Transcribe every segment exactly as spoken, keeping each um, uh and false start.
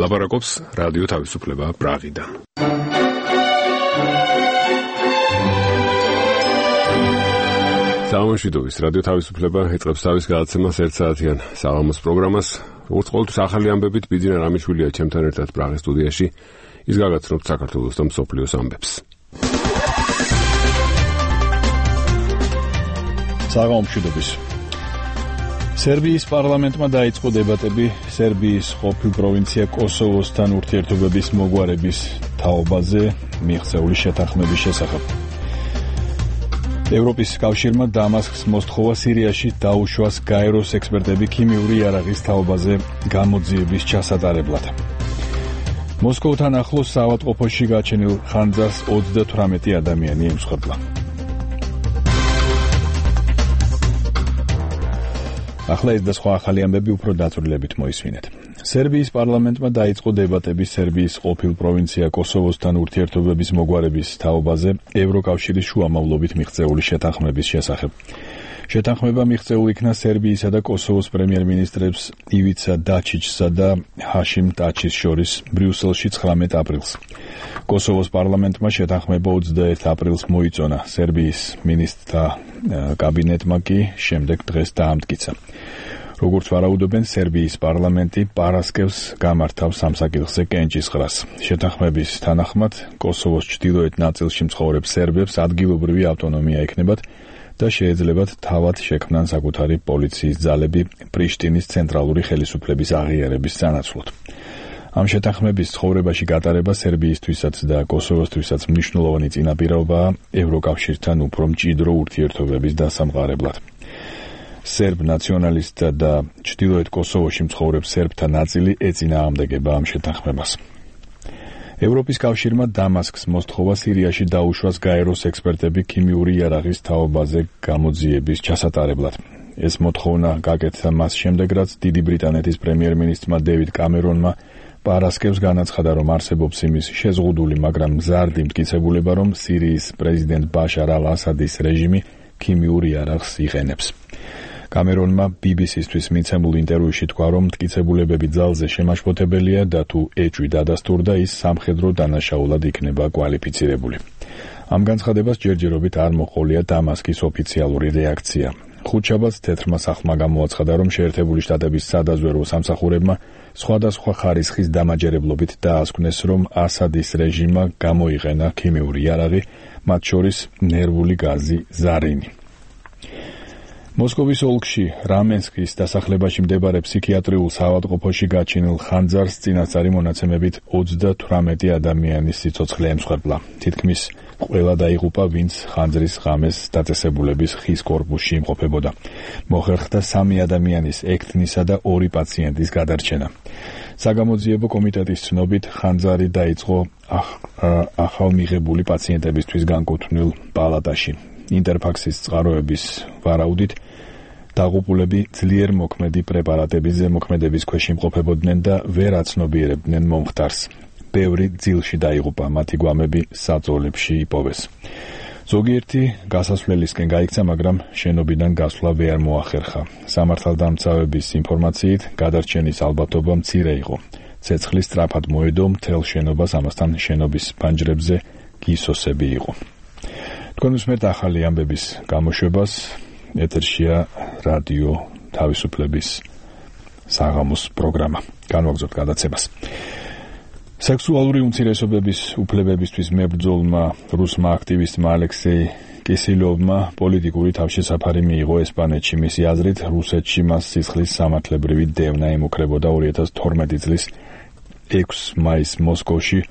ლაპარაკობს რადიო თავისუფლება პრაღიდან. სამშვიდობის რადიო თავისუფლება ეწყებს თავის გადაცემას ერთ საათიან საღამოს პროგრამას. როგორც ყოველთვის ახალი ამბებით ბიძინა რამიშვილია ჩემთან ერთად პრაღის სტუდიაში. ის გაგაცნობთ საქართველოს და მსოფლიოს ამბებს. საღამომშვიდობის. სერბიის პარლამენტმა დაიწყო დებატები სერბიის ყოფილ პროვინცია კოსოვოსთან ურთიერთობების მოგვარების თაობაზე მიღწეული შეთანხმების შესახებ. ევროპის კავშირმა დამასკს მოსთხოვა სირიაში დაუშვას გაეროს ექსპერტები ქიმიური იარაღის თაობაზე გამოძიების ჩასატარებლად. მოსკოვთან ახლოს საავადმყოფოში გაჩენილ ხანძარს ოცდათვრამეტი ადამიანი ემსხვერპლა. ახლა ეს და სხვა ახალი ამბები უფრო დაწვრილებით მოისმინეთ. სერბიის პარლამენტმა დაიწყო დებატები სერბიის ყოფილ პროვინცია კოსოვოსთან ურთიერთობების მოგვარების თაობაზე ევროკავშირის შუამავლობით მიღწეული შეთანხმების შესახებ. შეთანხმება მიღწეულ იქნა სერბიისა და კოსოვოს პრემიერ-მინისტრებს ივიცა დაჩიჩსა და ჰაშიმ ტაჩის შორის ბრიუსელში ცხრამეტ აპრილს. კოსოვოს პარლამენტმა შეთანხმება ოცდაერთ აპრილს მოიწონა, სერბიის მინისტრთა კაბინეტმა კი შემდეგ დღეს დაამტკიცა. როგორც ვარაუდობენ, სერბიის პარლამენტი პარასკევს გამართავს სამსაკითხზე კენჭისყრას. შეთანხმების თანახმად, კოსოვოს ჩრდილოეთ ნაწილში მცხოვრებ სერბებს ადგილობრივი ავტონომია ექნებათ და შეეძლებათ თავად შექმნან საკუთარი პოლიციის ძალები პრიშტინის ცენტრალური ხელისუფლების აღიარების სანაცვლოდ. ამ შეთანხმების ცხოვრებაში გატარება სერბიისთვისაც და კოსოვოსთვისაც მნიშვნელოვანი წინაპირობაა ევროკავშირთან უფრო მჭიდრო ურთიერთობების დასამყარებლად. სერბ ნაციონალისტთა და ჩრდილოეთ კოსოვოში მცხოვრებ სერბთა ნაწილი ეწინააღმდეგება ამ შეთანხმებას. ევროპის კავშირმა დამასკს მოსთხოვა სირიაში დაუშვას გაეროს ექსპერტები ქიმიური იარაღის თაობაზე გამოძიების ჩასატარებლად. ეს მოთხოვნა გაკეთდა მას შემდეგ, რაც დიდი ბრიტანეთის პრემიერ-მინისტრმა დევიდ კამერონმა პარასკევს განაცხადა, რომ არსებობს იმის შეზღუდული, მაგრამ მზარდი მტკიცებულება, რომ სირიის პრეზიდენტ ბაშარ ალ-ასადის რეჟიმი ქიმიურ იარაღს იყენებს. კამერონმა ბი ბი სისთვის მიცემულ ინტერვიუში თქვა, რომ მტკიცებულებები ძალზე შემაშფოთებელია და თუ ეჭვი დადასტურდა, ის სამხედრო დანაშაულად იქნება კვალიფიცირებული. ამ განცხადებას ჯერჯერობით არ მოჰყოლია დამასკის ოფიციალური რეაქცია. ხუთშაბათს თეთრმა სახლმა გამოაცხადა, რომ შეერთებული შტატების სადაზვერვო სამსახურებმა სხვადასხვა ხარისხის დამაჯერებლობით დაასკვნეს, რომ ასადის რეჟიმმა გამოიყენა ქიმიური იარაღი, მათ შორის ნერვული გაზი ზარინი. მოსკოვის ოლქში რამენსკის დასახლებაში მდებარე ფსიქიატრიულ საავადმყოფოში გაჩენილ ხანძარს წინასწარი მონაცემებით ოცდათვრამეტი ადამიანის სიცოცხლე ემსხვერპლა. თითქმის ყველა დაიღუპა, ვინც ხანძრის ღამეს დაწესებულების ხის კორპუსში იმყოფებოდა. მოხერხდა სამი ადამიანის, ექთნისა და ორი პაციენტის გადარჩენა. საგამოძიებო კომიტეტის ცნობით, ხანძარი დაიწყო ახალმიღებული პაციენტებისთვის განკუთვნილ პალატაში. ინტერფაქსის წყაროების ვარაუდით, დაღუპულები ძლიერ მოქმედი პრეპარატების ზემოქმედების ქვეშ იმყოფებოდნენ და ვერ აცნობიერებდნენ მომხდარს. ბევრი ძილში დაიღუპა, მათი გვამები საწოლებში იპოვეს. ზოგიერთი გასასვლელისკენ გაიქცა, მაგრამ შენობიდან გასვლა ვერ მოახერხა. სამართალდამცავების ინფორმაციით, გადარჩენის ალბათობა მცირე იყო. ცეცხლი სწრაფად მოედო მთელ შენობას, ამასთან შენობის ფანჯრებზე გისოსები იყო. თქვენ უსმენთ ახალი ამბების გამოშვებას, ეთერშია რადიო თავისუფლების საღამოს პროგრამა. განვაგრძობთ გადაცემას. სექსუალური უმცირესობების უფლებებისთვის მებრძოლმა რუსმა აქტივისტმა ალექსეი კისილოვმა პოლიტიკური თავშესაფარი მიიღო ესპანეთში. მისი აზრით, რუსეთში მას სისხლის სამართლებრივი დევნა ემუქრებოდა ორი ათას თორმეტი წლის ექვსი მაისს მოსკოვში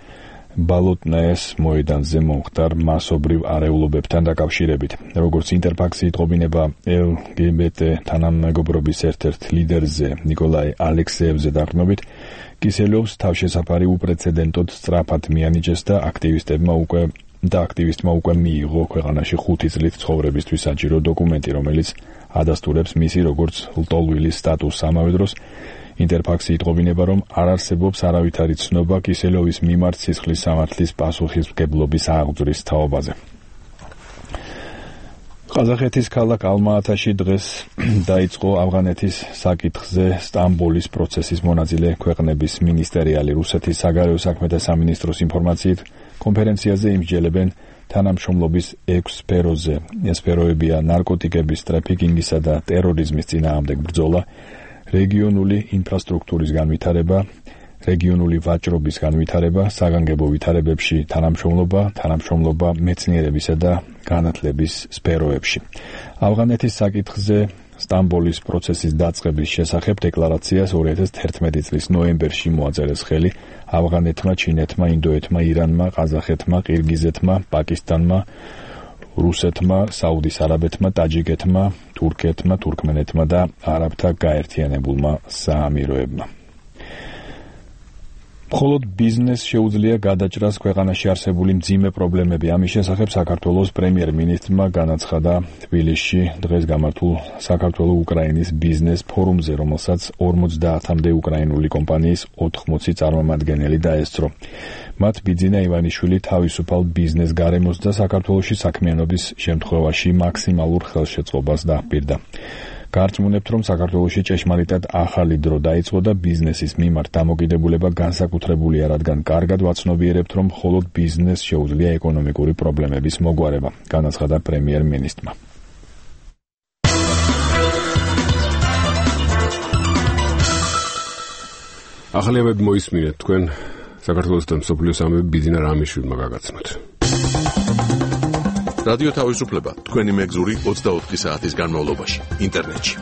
ბალოტნაეს მოედანზე მომხდარ მასობრივ არეულობებთან დაკავშირებით. როგორც ინტერფაქსი იტყობინება ელ გი ბი ტი თანამეგობრობის ერთ-ერთ ლიდერზე ნიკოლაი ალექსეევზე დაყრდნობით, კისელოვს თავშესაფარი უპრეცედენტოდ სწრაფად მიანიჭეს და აქტივისტებმა უკვე და აქტივისტმა უკვე მიიღო ქვეყანაში ხუთი წლით ცხოვრებისთვის საჭირო დოკუმენტი, რომელიც ადასტურებს მისი როგორც ლტოლვილის სტატუსს. ამავე დროს ინტერფაქსი იტყობინება, რომ არ არსებობს არავითარი ცნობა კისელოვის მიმართ სისხლის სამართლის პასუხისმგებლობის აღძვრის თაობაზე. ყაზახეთის ქალაქ ალმა-ათაში დღეს დაიწყო ავღანეთის საკითხზე სტამბოლის პროცესის მონაწილე ქვეყნების მინისტერიალი. რუსეთის საგარეო საქმეთა სამინისტროს ინფორმაციით კონფერენციაზე იმსჯელებენ თანამშრომლობის ექვს სფეროზე. ეს სფეროებია ნარკოტიკების ტრაფიკინგისა და ტერორიზმის წინააღმდეგ ბრძოლა, რეგიონული ინფრასტრუქტურის განვითარება, რეგიონული ვაჭრობის განვითარება, საგანგებო ვითარებებში თანამშრომლობა, თანამშრომლობა მეცნიერებისა და განათლების სფეროებში. ავღანეთის საკითხზე სტამბოლის პროცესის დაწყების შესახებ დეკლარაციას ორი ათას თერთმეტი წლის ნოემბერში მოაწერეს ხელი ავღანეთმა, ჩინეთმა, ინდოეთმა, ირანმა, ყაზახეთმა, ყირგიზეთმა, პაკისტანმა, რუსეთმა, საუდის არაბეთმა, ტაჯიკეთმა, თურქეთმა, თურქმენეთმა და არაბთა გაერთიანებულმა საამიროებმა. მხოლოდ ბიზნეს შეუძლია გადაჭრას ქვეყანაში არსებული მძიმე პრობლემები. ამის შესახებ საქართველოს პრემიერ-მინისტრმა განაცხადა თბილისში დღეს გამართულ საქართველო-უკრაინის ბიზნეს ფორუმზე, რომელსაც ორმოცდაათამდე უკრაინული კომპანიის ოთხმოცი წარმომადგენელი დაესწრო. მათ ბიძინა ივანიშვილი თავისუფალ ბიზნეს გარემოს და საქართველოში საქმიანობის შემთხვევაში მაქსიმალურ ხელშეწყობას დაჰპირდა. გარწმუნებთ, რომ საქართველოში ჭეშმარიტად ახალი დრო დაიწყო და ბიზნესის მიმართ დამოკიდებულება განსაკუთრებულია, რადგან კარგად ვაცნობიერებთ, რომ მხოლოდ ბიზნეს შეუძლია ეკონომიკური პრობლემების მოგვარება, განაცხადა პრემიერ-მინისტრმა. ახალიებები მოისმინეთ, თქვენ საქართველოს და მსოფლიოს ამბები ბიძინა რამიშვილმა გაგაცნოთ. რადიო თავისუფლება თქვენი მეგზური ოცდაოთხი საათის განმავლობაში ინტერნეტში.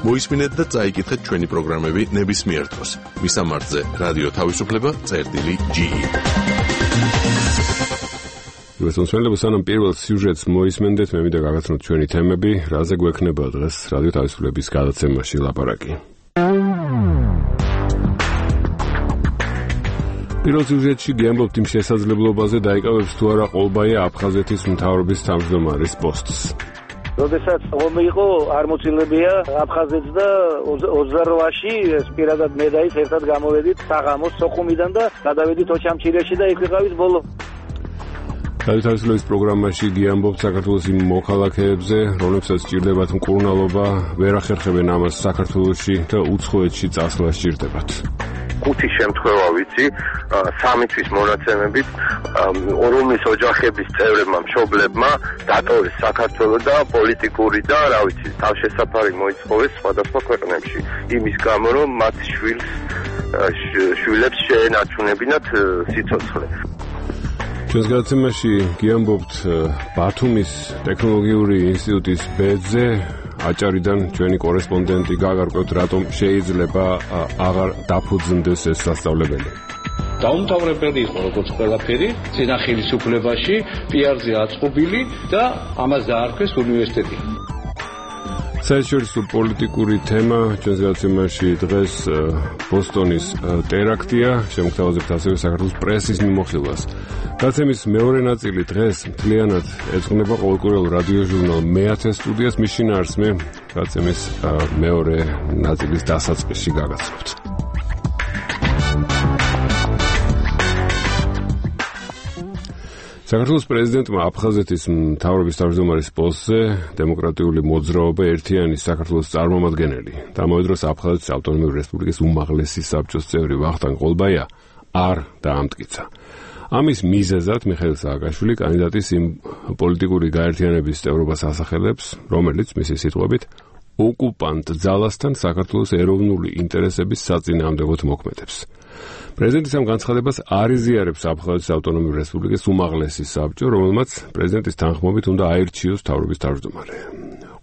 მოისმინეთ და წაიკითხეთ ჩვენი პროგრამები ნებისმიერ დროს. მისამართზე რადიო თავისუფლება წერტილი ჯი. მოსმენლებო, სანამ პირველ სიუჟეტს მოისმენდეთ, მე მინდა გაგაცნოთ ჩვენი თემები, რაზე გვექნება დღეს რადიო თავისუფლების გადაცემაში ლაპარაკი. პირველ სიუჟეტში გიამბობთ იმ შესაძლებლობაზე, დაიკავებს თუ არა ყოლბაია აფხაზეთის მთავრობის თავმჯდომარის პოსტს. როდესაც ომი იყო, არ მოცილებია აფხაზეთს და ოცდარვაში ეს პირადად მე და ის ერთად გამოვედით საღამოს სოხუმიდან და გადავედით ოჩამჩირეში და იქ ვიყავით ბოლო. რადიო თავისუფლების პროგრამაში გიამბობთ საქართველოს იმ მოქალაქეებზე, რომლებსაც სჭირდებათ მკურნალობა, ვერ ახერხებენ ამას საქართველოში და უცხოეთში წასვლა სჭირდებათ. ხუთი შემთხვევა ვიცი, სამი თვის მონაცემებით, რომლის ოჯახების წევრებმა, მშობლებმა დატოვეს საქართველო და პოლიტიკური და, რა ვიცი, თავშესაფარი მოითხოვეს სხვადასხვა ქვეყნებში. იმის გამო, რომ მათ შვილს შვილებს შეენარჩუნებინათ სიცოცხლე. ჩვენს გადაცემაში გიამბობთ ბათუმის ტექნოლოგიური ინსტიტუტის ბედზე, აჭარიდან ჩვენი კორესპონდენტი გაგარკვევთ, რატომ შეიძლება აღარ დაფუძნდეს ეს სასწავლებელი. დაუმთავრებელი იყო როგორც ყველაფერი, წინა ხელისუფლებაში, პიარზე აწყობილი და ამას დაარქვეს უნივერსიტეტი. საერთაშორისო პოლიტიკური თემა ჩვენს გადაცემაში დღეს ბოსტონის ტერაქტია, შემოგთავაზებთ ასევე საქართველოს პრესის მიმოხილვას. გადაცემის მეორე ნაწილი დღეს მთლიანად ეძღვნება ყოველკვირეულ რადიო ჟურნალ მეათე სტუდიას, მის შინაარსს მე გადაცემის მეორე ნაწილის დასაწყისში გაგაცნობთ. საქართველოს პრეზიდენტმა აფხაზეთის მთავრობის თავმჯდომარის პოსტზე დემოკრატიული მოძრაობა ერთიანი საქართველოს წარმომადგენელი და ამავდროულად აფხაზეთის ავტონომიური რესპუბლიკის უმაღლესი საბჭოს წევრი ვახტანგ ყოლბაია არ დაამტკიცა. ამის მიზეზად მიხეილ სააკაშვილი კანდიდატის იმ პოლიტიკური გაერთიანების წევრობას ასახელებს, რომელიც მისი სიტყვებით ოკუპანტ ძალასთან საქართველოს ეროვნული ინტერესების საწინააღმდეგოდ მოქმედებს. პრეზიდენტის ამ განცხადებას არ იზიარებს აფხაზეთის ავტონომიური რესპუბლიკის უმაღლესი საბჭო, რომელმაც პრეზიდენტის თანხმობით უნდა აირჩიოს მთავრობის თავმჯდომარე.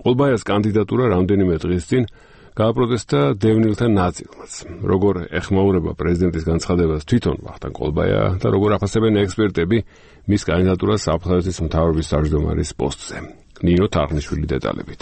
ყოლბაიას კანდიდატურა რამდენიმე დღის წინ გააპროტესტა დევნილთა ნაწილმაც. როგორ ეხმაურება პრეზიდენტის განცხადებას თვითონ ვახტანგ ყოლბაია და როგორ აფასებენ ექსპერტები მის კანდიდატურას აფხაზეთის მთავრობის თავმჯდომარის პოსტზე. ნინო თარხნიშვილი დეტალებით.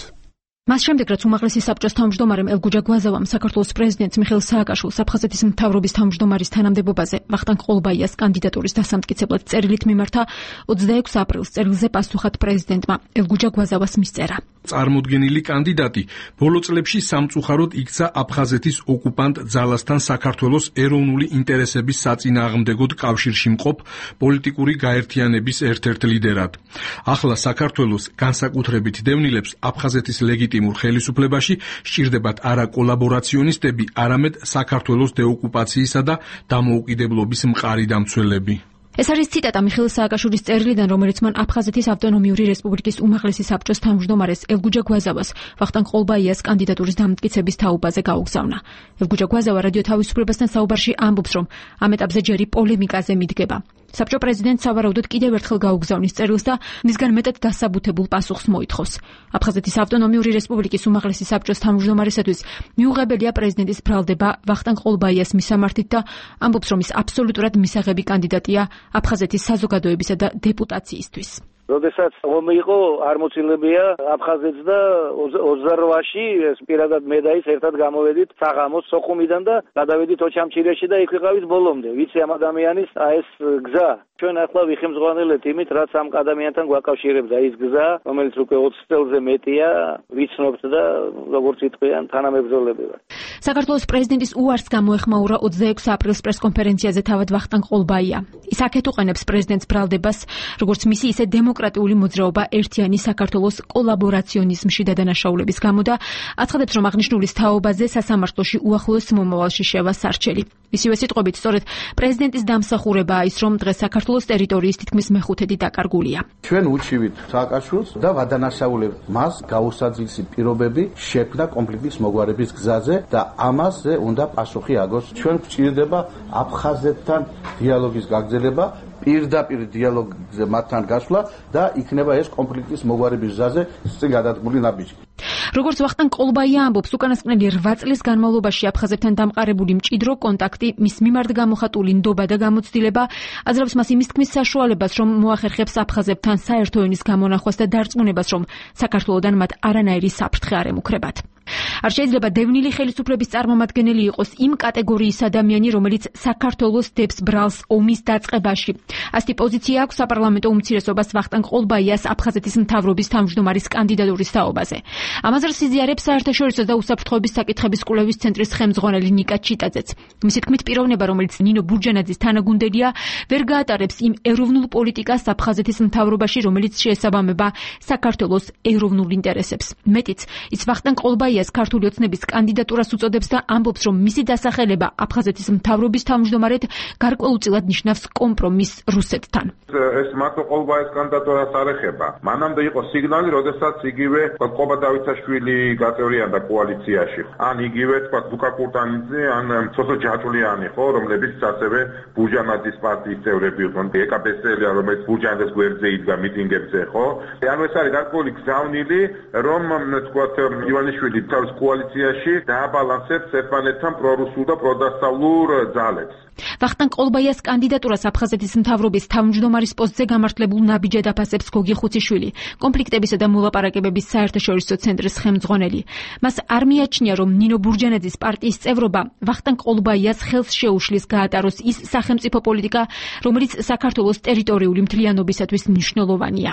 მას შემდეგ, რაც უმაღლესი საბჭოს თავმჯდომარემ ელგუჯა გვაზავამ საქართველოს პრეზიდენტს მიხეილ სააკაშვილს აფხაზეთის მთავრობის თავმჯდომარის თანამდებობაზე ვახტანგ ყოლბაიას კანდიდატურის დასამტკიცებლად წერილით მიმართა ოცდაექვსი აპრილის წერილზე პასუხად პრეზიდენტმა ელგუჯა გვაზავას მისწერა. წარმოდგენილი კანდიდატი ბოლო წლებში სამწუხაროდ იქცა აფხაზეთის ოკუპანტ ძალასთან საქართველოს ეროვნული ინტერესების საწინააღმდეგოდ კავშირში მყოფ პოლიტიკური გაერთიანების ერთ-ერთ ლიდერად. ახლა საქართველოს განსაკუთრებით დევნილებს აფხაზეთის ლეგიტიმურ ხელისუფლებაში სჭირდებათ არა კოლაბორაციონისტები, არამედ საქართველოს დეოკუპაციისა და დამოუკიდებლობის მყარი დამცველები. ეს არის ციტატა მიხეილ სააკაშვილის წერილიდან, რომელიც მან აფხაზეთის ავტონომიური რესპუბლიკის უმაღლესი საბჭოს თავმჯდომარეს ელგუჯა გვაზავას ვახტანგ ყოლბაიას კანდიდატურის დამტკიცების თაობაზე გაუგზავნა. ელგუჯა გვაზავა რადიო თავისუფლებასთან საუბარში ამბობს, რომ ამ ეტაპზე ჯერი პოლემიკაზე მიდგება. საბჭო პრეზიდენტს სავარაუდოდ კიდევ ერთხელ გაუგზავნის წერილს და მისგან მეტად დასაბუთებულ პასუხს მოითხოვს. აფხაზეთის ავტონომიური რესპუბლიკის უმაღლესი საბჭოს თავმჯდომარესათვის მიუღებელია პრეზიდენტის ბრალდება ვახტანგ ყოლბაიას მისამართით და ამბობს, რომ ის აბსოლუტურად მისაღები კანდიდატია აფხაზეთის საზოგადოებისა და დეპუტაციისთვის. როდესაც ომი იყო, არ მოცილებია აფხაზეთს და ოცდარვაში ეს პირადად მე და ის ერთად გამოვედით საღამოს სოხუმიდან და გადავედით ოჩამჩირეში და იქ ვიყავით ბოლომდე. ვიცი ამ ადამიანის ეს გზა. ჩვენ ახლა ვიხმძღვანელეთ იმით, რაც ამ ადამიანთან გვაკავშირებს, აი ეს გზა, რომელიც უკვე ოცი წელზე მეტია, ვიცნობთ და როგორც იტყვიან, თანამებრძოლები ვართ. საქართველოს პრეზიდენტის უარს გამოეხმაურა ოცდაექვსი აპრილის პრესკონფერენციაზე თავად ვახტანგ ყოლბაია. ის აქეთ უყენებს პრეზიდენტს ბრალდებას, როგორც მისი ისე დემოკრატიული მოძრაობა ერთიანი საქართველოს კოლაბორაციონიზმში დადანაშაულების გამო და აცხადებს, რომ აღნიშნულის თაობაზე სასამართლოში უახლოეს მომავალში შევა სარჩელი. მისივე სიტყვებით, სწორედ პრეზიდენტის დამსახურებაა ის, რომ დღეს საქართველოს ტერიტორიის თითქმის მეხუთედი დაკარგულია. ჩვენ უჩივით სააკაშვილს და ვადანაშაულებთ მას გაუსაძილესი პირობები შექმნა კონფლიქტის მოგვარების გზაზე და ამაზე უნდა პასუხი აგოს. ჩვენ გვჭირდება აფხაზეთთან დიალოგის გაგრძელება, პირდაპირ დიალოგზე მათთან გასვლა და იქნება ეს კონფლიქტის მოგვარების გზაზე წინ გადადგმული ნაბიჯი. როგორც ვახტანგ ყოლბაია ამბობს, უკანასკნელი რვა წლის განმავლობაში აფხაზებთან დამყარებული მჭიდრო კონტაქტი, მის მიმართ გამოხატული ნდობა და გამოცდილება აძლევს მას იმის თქმის საშუალებას, რომ მოახერხებს აფხაზებთან საერთო ენის გამონახვას და დარწმუნებას, რომ საქართველოდან მათ არანაირი საფრთხე არ ემუქრებათ. არ შეიძლება დევნილი ხელისუფლების წარმომადგენელი იყოს იმ კატეგორიის ადამიანი, რომელიც საქართველოს დებს ბრალს ომის დაწყებაში. ასეთი პოზიცია აქვს საპარლამენტო უმცირესობას ვახტანგ ყოლბაიას აფხაზეთის მთავრობის თავმჯდომარის კანდიდატურის თაობაზე. ამაზე სიზიარებს საერთაშორისო და უსაფრთხოების საკითხების კვლევის ცენტრის ხელმძღვანელი ნიკა ჩიტაძეც. მისი თქმით, პიროვნება, რომელიც ნინო ბურჯანაძის თანაგუნდელია, ვერ გაატარებს იმ ეროვნულ პოლიტიკას აფხაზეთის მთავრობაში, რომელიც შეესაბამება საქართველოს ეროვნულ ინტერესებს. მეტიც, ის ვახტანგ ყოლბაიას ქართული ოცნების კანდიდატურას უწოდებს და ამბობს, რომ მისი დასახელება აფხაზეთის მთავრობის თავმჯდომარედ გარკვეულწილად ნიშნავს კომპრომისს რუსეთთან. ეს მარტო ყოლბაიას კანდიდატურას არ ეხება. მანამდე იყო სიგნალი, როდესაც იგივე ყობა დავითაშვილი გაწევრიანდა კოალიციაში. ან იგივე თქვა ლუკა კურტანიძე, ან სოსო ჯაჭულიანი ხო, რომლებიც ასევე ბურჯანაძის პარტიის წევრები იყვნენ. ეკაბესელია, რომელიც ბურჯანაძის გვერდზე იდგა მიტინგებზე, ხო? ანუ ეს არის გარკვეული გზავნილი, რომ თქვა ივანიშვილი თავს კოალიციაში დააბალანსებს ერთმანეთთან პრორუსულ და პროდასავლურ ძალებს. ვახტანგ ყოლბაიას კანდიდატურას აფხაზეთის მთავრობის თავმჯდომარის პოსტზე გამართლებულ ნაბიჯად აფასებს გოგი ხუციშვილი, კონფლიქტებისა და მოლაპარაკებების საერთაშორისო ცენტრის ხელმძღვანელი. მას არ მიაჩნია, რომ ნინო ბურჯანაძის პარტიის წევრობა ვახტანგ ყოლბაიას ხელს შეუშლის გაატაროს ის სახელმწიფო პოლიტიკა, რომელიც საქართველოს ტერიტორიული მთლიანობისათვის მნიშვნელოვანია.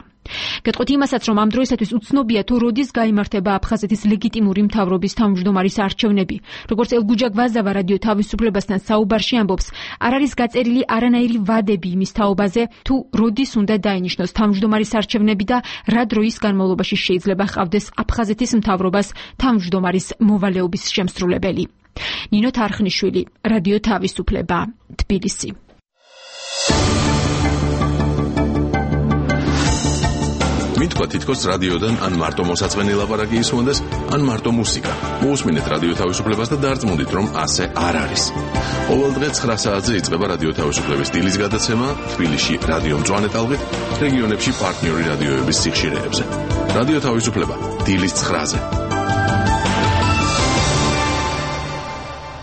გეტყვით იმასაც, რომ ამ დროისათვის უცნობია, თუ როდის გაიმართება აფხაზეთის ლეგიტიმური მთავრობის თავმჯდომარის არჩევნები. როგორც ელგუჯა გვაზავა რადიო თავისუფლებასთან საუბარში ამბობს, არ არის გაწერილი არანაირი ვადები იმის თაობაზე, თუ როდის უნდა დაინიშნოს თავმჯდომარის არჩევნები და რა დროის განმავლობაში შეიძლება ჰყავდეს აფხაზეთის მთავრობას თავმჯდომარის მოვალეობის შემსრულებელი. ნინო თარხნიშვილი, რადიო თავისუფლება, თბილისი. მითქვა თითქოს რადიოდან ან მარტო მოსაწყენი ლაპარაკი ისმონდეს, ან მარტო მუსიკა. მოусმინეთ რადიო თავისუფლებას და დარწმუნდით, რომ ასე არ არის. ყოველ დღე ცხრა საათზე იწყება რადიო თავისუფლების დილის გადაცემა თბილისში რადიო მწვანე ტალღით, რეგიონებში პარტნიორი რადიოების სიხშირეებზე. რადიო თავისუფლება დილის ცხრაზე.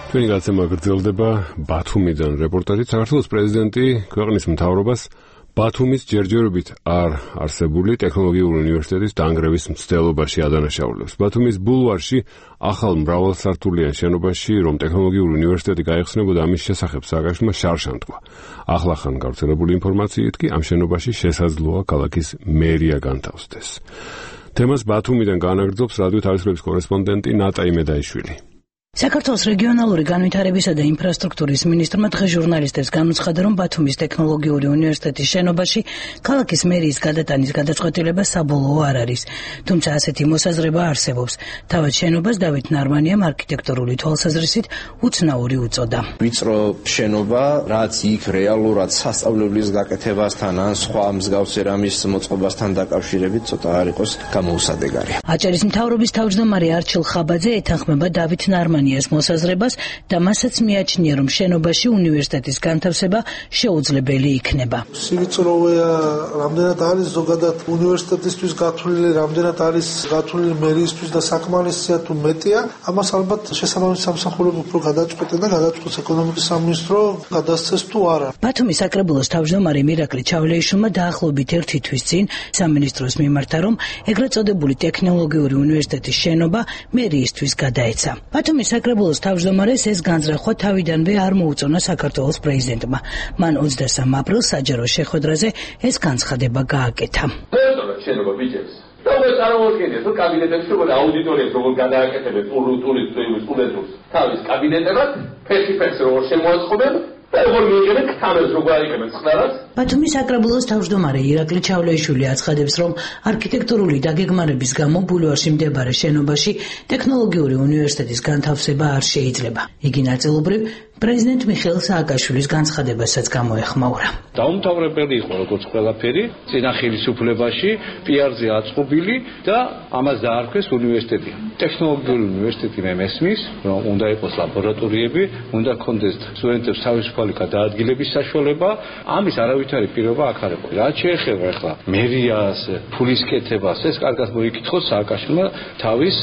ჩვენი გადაცემა გრძელდება ბათუმიდან რეპორტაჟით. საქართველოს პრეზიდენტი ქვეყნის მთავრობას ბათუმის ჯერჯერობით არ არსებული ტექნოლოგიური უნივერსიტეტის დანგრევის მცდელობაში ადანაშაულებს. ბათუმის ბულვარში ახალ მრავალსართულიან შენობაში, რომ ტექნოლოგიური უნივერსიტეტი გაიხსნებოდა, ამის შესახებ სააკაშვილმა შარშან თქვა. ახლახან გავრცელებული ინფორმაციით კი ამ შენობაში შესაძლოა ქალაქის მერია განთავსდეს. თემას ბათუმიდან განაგრძობს რადიო თავისუფლების კორესპონდენტი ნატა იმედაიშვილი. საქართველოს რეგიონალური განვითარებისა და ინფრასტრუქტურის მინისტრმა დღეს ჟურნალისტებს განუცხადა, რომ ბათუმის ტექნოლოგიური უნივერსიტეტის შენობაში ქალაქის მერიის გადატანის გადაწყვეტილება საბოლოო არ არის. თუმცა ასეთი მოსაზრება არსებობს. თავად შენობას დავით ნარმანიამ არქიტექტურული თვალსაზრისით უცნაური უწოდა. ვიწრო შენობა, რაც იქ რეალურად სასწავლებლის გაკეთებასთან ან სხვა მსგავსი რამის მოწყობასთან დაკავშირებით ცოტა არ იყოს გამოუსადეგარი. აჭარის მთავრობის თავმჯდომარე არჩილ ხაბაძე ეთანხმება დავით ნარმანიამ მოსაზრებას და მასაც მიაჩნია, რომ შენობაში უნივერსიტეტის განთავსება შეუძლებელი იქნება. სივიწროვეა, რამდენად არის ზოგადად უნივერსიტეტისთვის გათვლილი, რამდენად არის გათვლილი მერიისთვის და საკმარისია თუ მეტია, ამას ალბათ შესაბამისი სამსახურები უფრო გადაწყვეტენ და გადაწყვეტს ეკონომიკის სამინისტრო გადასცეს თუ არა. ბათუმის საკრებულოს თავმჯდომარე მირაკლი ჩავლეიშვილმა დაახლოებით ერთი თვის წინ სამინისტროს მიმართა, რომ ეგრეთ წოდებული ტექნოლოგიური უნივერსიტეტის შენობა მერიისთვის გადაეცა. ბათუმის საკრებულოს თავმჯდომარეს ეს განზრახვა თავიდანვე არ მოუწონა საქართველოს პრეზიდენტმა. მან ოცდასამ აპრილს საჯარო შეხვედრაზე ეს განცხადება გააკეთა. შენობა ბიჭებს. და უკვე წარმოვიდგინეთ, რომ კაბინეტებში როგორ აუდიტორიებს როგორ გადააკეთებენ ტურისტულ სტუდენტებს თავის კაბინეტებად, ფერში-ფერში როგორ შემოაწყობენ. ბათუმის საკრებულოს თავმჯდომარე ირაკლი ჩავლეიშვილი აცხადებს, რომ არქიტექტურული დაგეგმარების გამო ბულვარში მდებარე შენობაში ტექნოლოგიური უნივერსიტეტის განთავსება არ შეიძლება. იგი ნაწილობრივ პრეზიდენტ მიხეილ სააკაშვილის განცხადებასაც გამოეხმაურა. დაუმთავრებელი იყო როგორც ყველაფერი, წინა ხელისუფლებაში პიარზე აწყობილი და ამას დაარქვეს უნივერსიტეტი. ტექნოლოგიური უნივერსიტეტი მე მესმის, რომ უნდა იყოს ლაბორატორიები, უნდა ჰქონდეს სტუდენტებს თავისუფალი გადაადგილების საშუალება, ამის არავითარი პირობა აქ არ იყო. რაც შეეხება ახლა მერიას, ფულის კეთებას, ეს კარგად მოიკითხოს სააკაშვილმა თავის,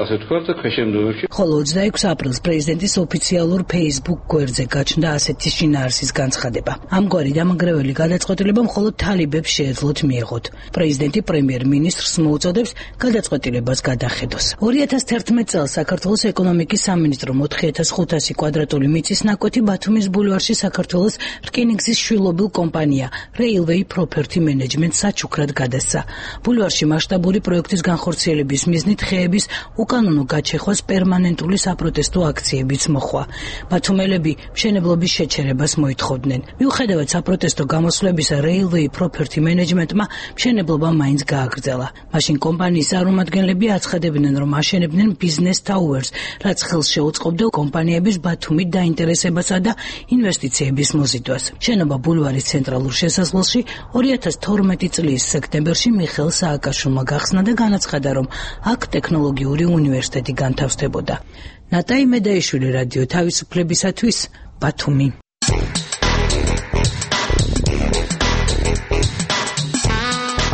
ასე ვთქვათ, ქვეშევრდომებში. ხოლო ოცდაექვსი აპრილს პრეზიდენტის ოფიციალურ Facebook გვერდზე გაჩნდა ასეთი შინაარსის განცხადება. ამგვარი დამანგრეველი გადაწყვეტილება მხოლოდ თალიბებს შეეძლოთ მიეღოთ. პრეზიდენტი პრემიერ-მინისტრს მოუწოდებს გადაწყვეტილებას გადახედოს. ორი ათას თერთმეტ წელს საქართველოს ეკონომიკის სამინისტრომ ოთხი ათას ხუთასი კვადრატული მიწის ნაკვეთი ბათუმის ბულვარში საქართველოს რკინიგზის შვილობილ კომპანია Railway Property Management საჩუქრად გადასცა. ბულვარში მასშტაბური პროექტის განხორციელების მიზნით ხეების უკანონო გაჩეხვას პერმანენტული საპროტესტო აქციებიც მოხვა. ბათუმელები მშენებლობის შეჩერებას მოითხოვდნენ. მიუხედავად საპროტესტო გამოსვლებისა, Railway Property Management-მა მშენებლობა მაინც გააგრძელა. მაშინ კომპანიის წარმომადგენლები აცხადებდნენ, რომ აშენებდნენ Business Towers, რაც ხელს შეუწყობდა კომპანიების ბათუმით დაინტერესებასა და ინვესტიციების მოზიდვას. შენობა ბულვარის ცენტრალურ შესასვლელში ორი ათას თორმეტი წლის სექტემბერში მიხეილ სააკაშვილმა გახსნა და განაცხადა, რომ აქ ტექნოლოგიური უნივერსიტეტი განთავსდებოდა. ნატა იმედაიშვილი, რადიო თავისუფლებისათვის, ბათუმი.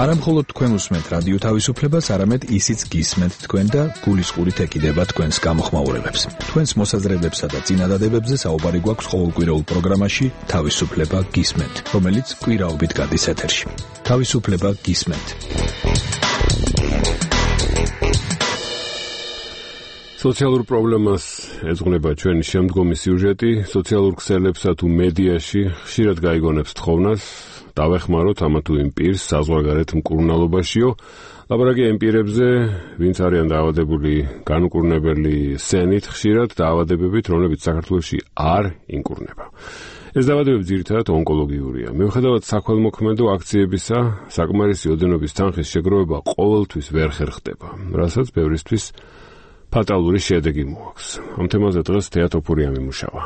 არა მხოლოდ თქვენ უსმენთ რადიო თავისუფლებას, არამედ ისიც გისმენთ თქვენ და გულისყურით ეკიდება თქვენს გამოხმაურებებს. თქვენს მოსაზრებებსა და წინადადებებზე საუბარი გვაქვს ყოველკვირეულ პროგრამაში თავისუფლება გისმენთ, რომელიც კვირაობით გადის ეთერში. თავისუფლება გისმენთ. სოციალურ პრობლემას ეძღვნება ჩვენი შემდგომი სიუჟეტი. სოციალურ ქსელებსა თუ მედიაში ხშირად გაიგონებს თხოვნას დავეხმაროთ ამა თუ იმ პირს საზღვარგარეთ მკურნალობაშიო. ლაპარაკია იმ პირებზე, ვინც არიან დაავადებული განუკურნებელი სენით, ხშირად დაავადებებით, რომლებიც საქართველოში არ ინკურნება. ეს დაავადებები ძირითადად ონკოლოგიურია. მიუხედავად საქველმოქმედო აქციებისა, საკმარისი ოდენობის თანხის შეგროვება ყოველთვის ვერ ხერხდება, რასაც ბევრისთვის ფატალური შედეგი მოაქვს. ამ თემაზე დღეს თეატოფური ამიმუშავა.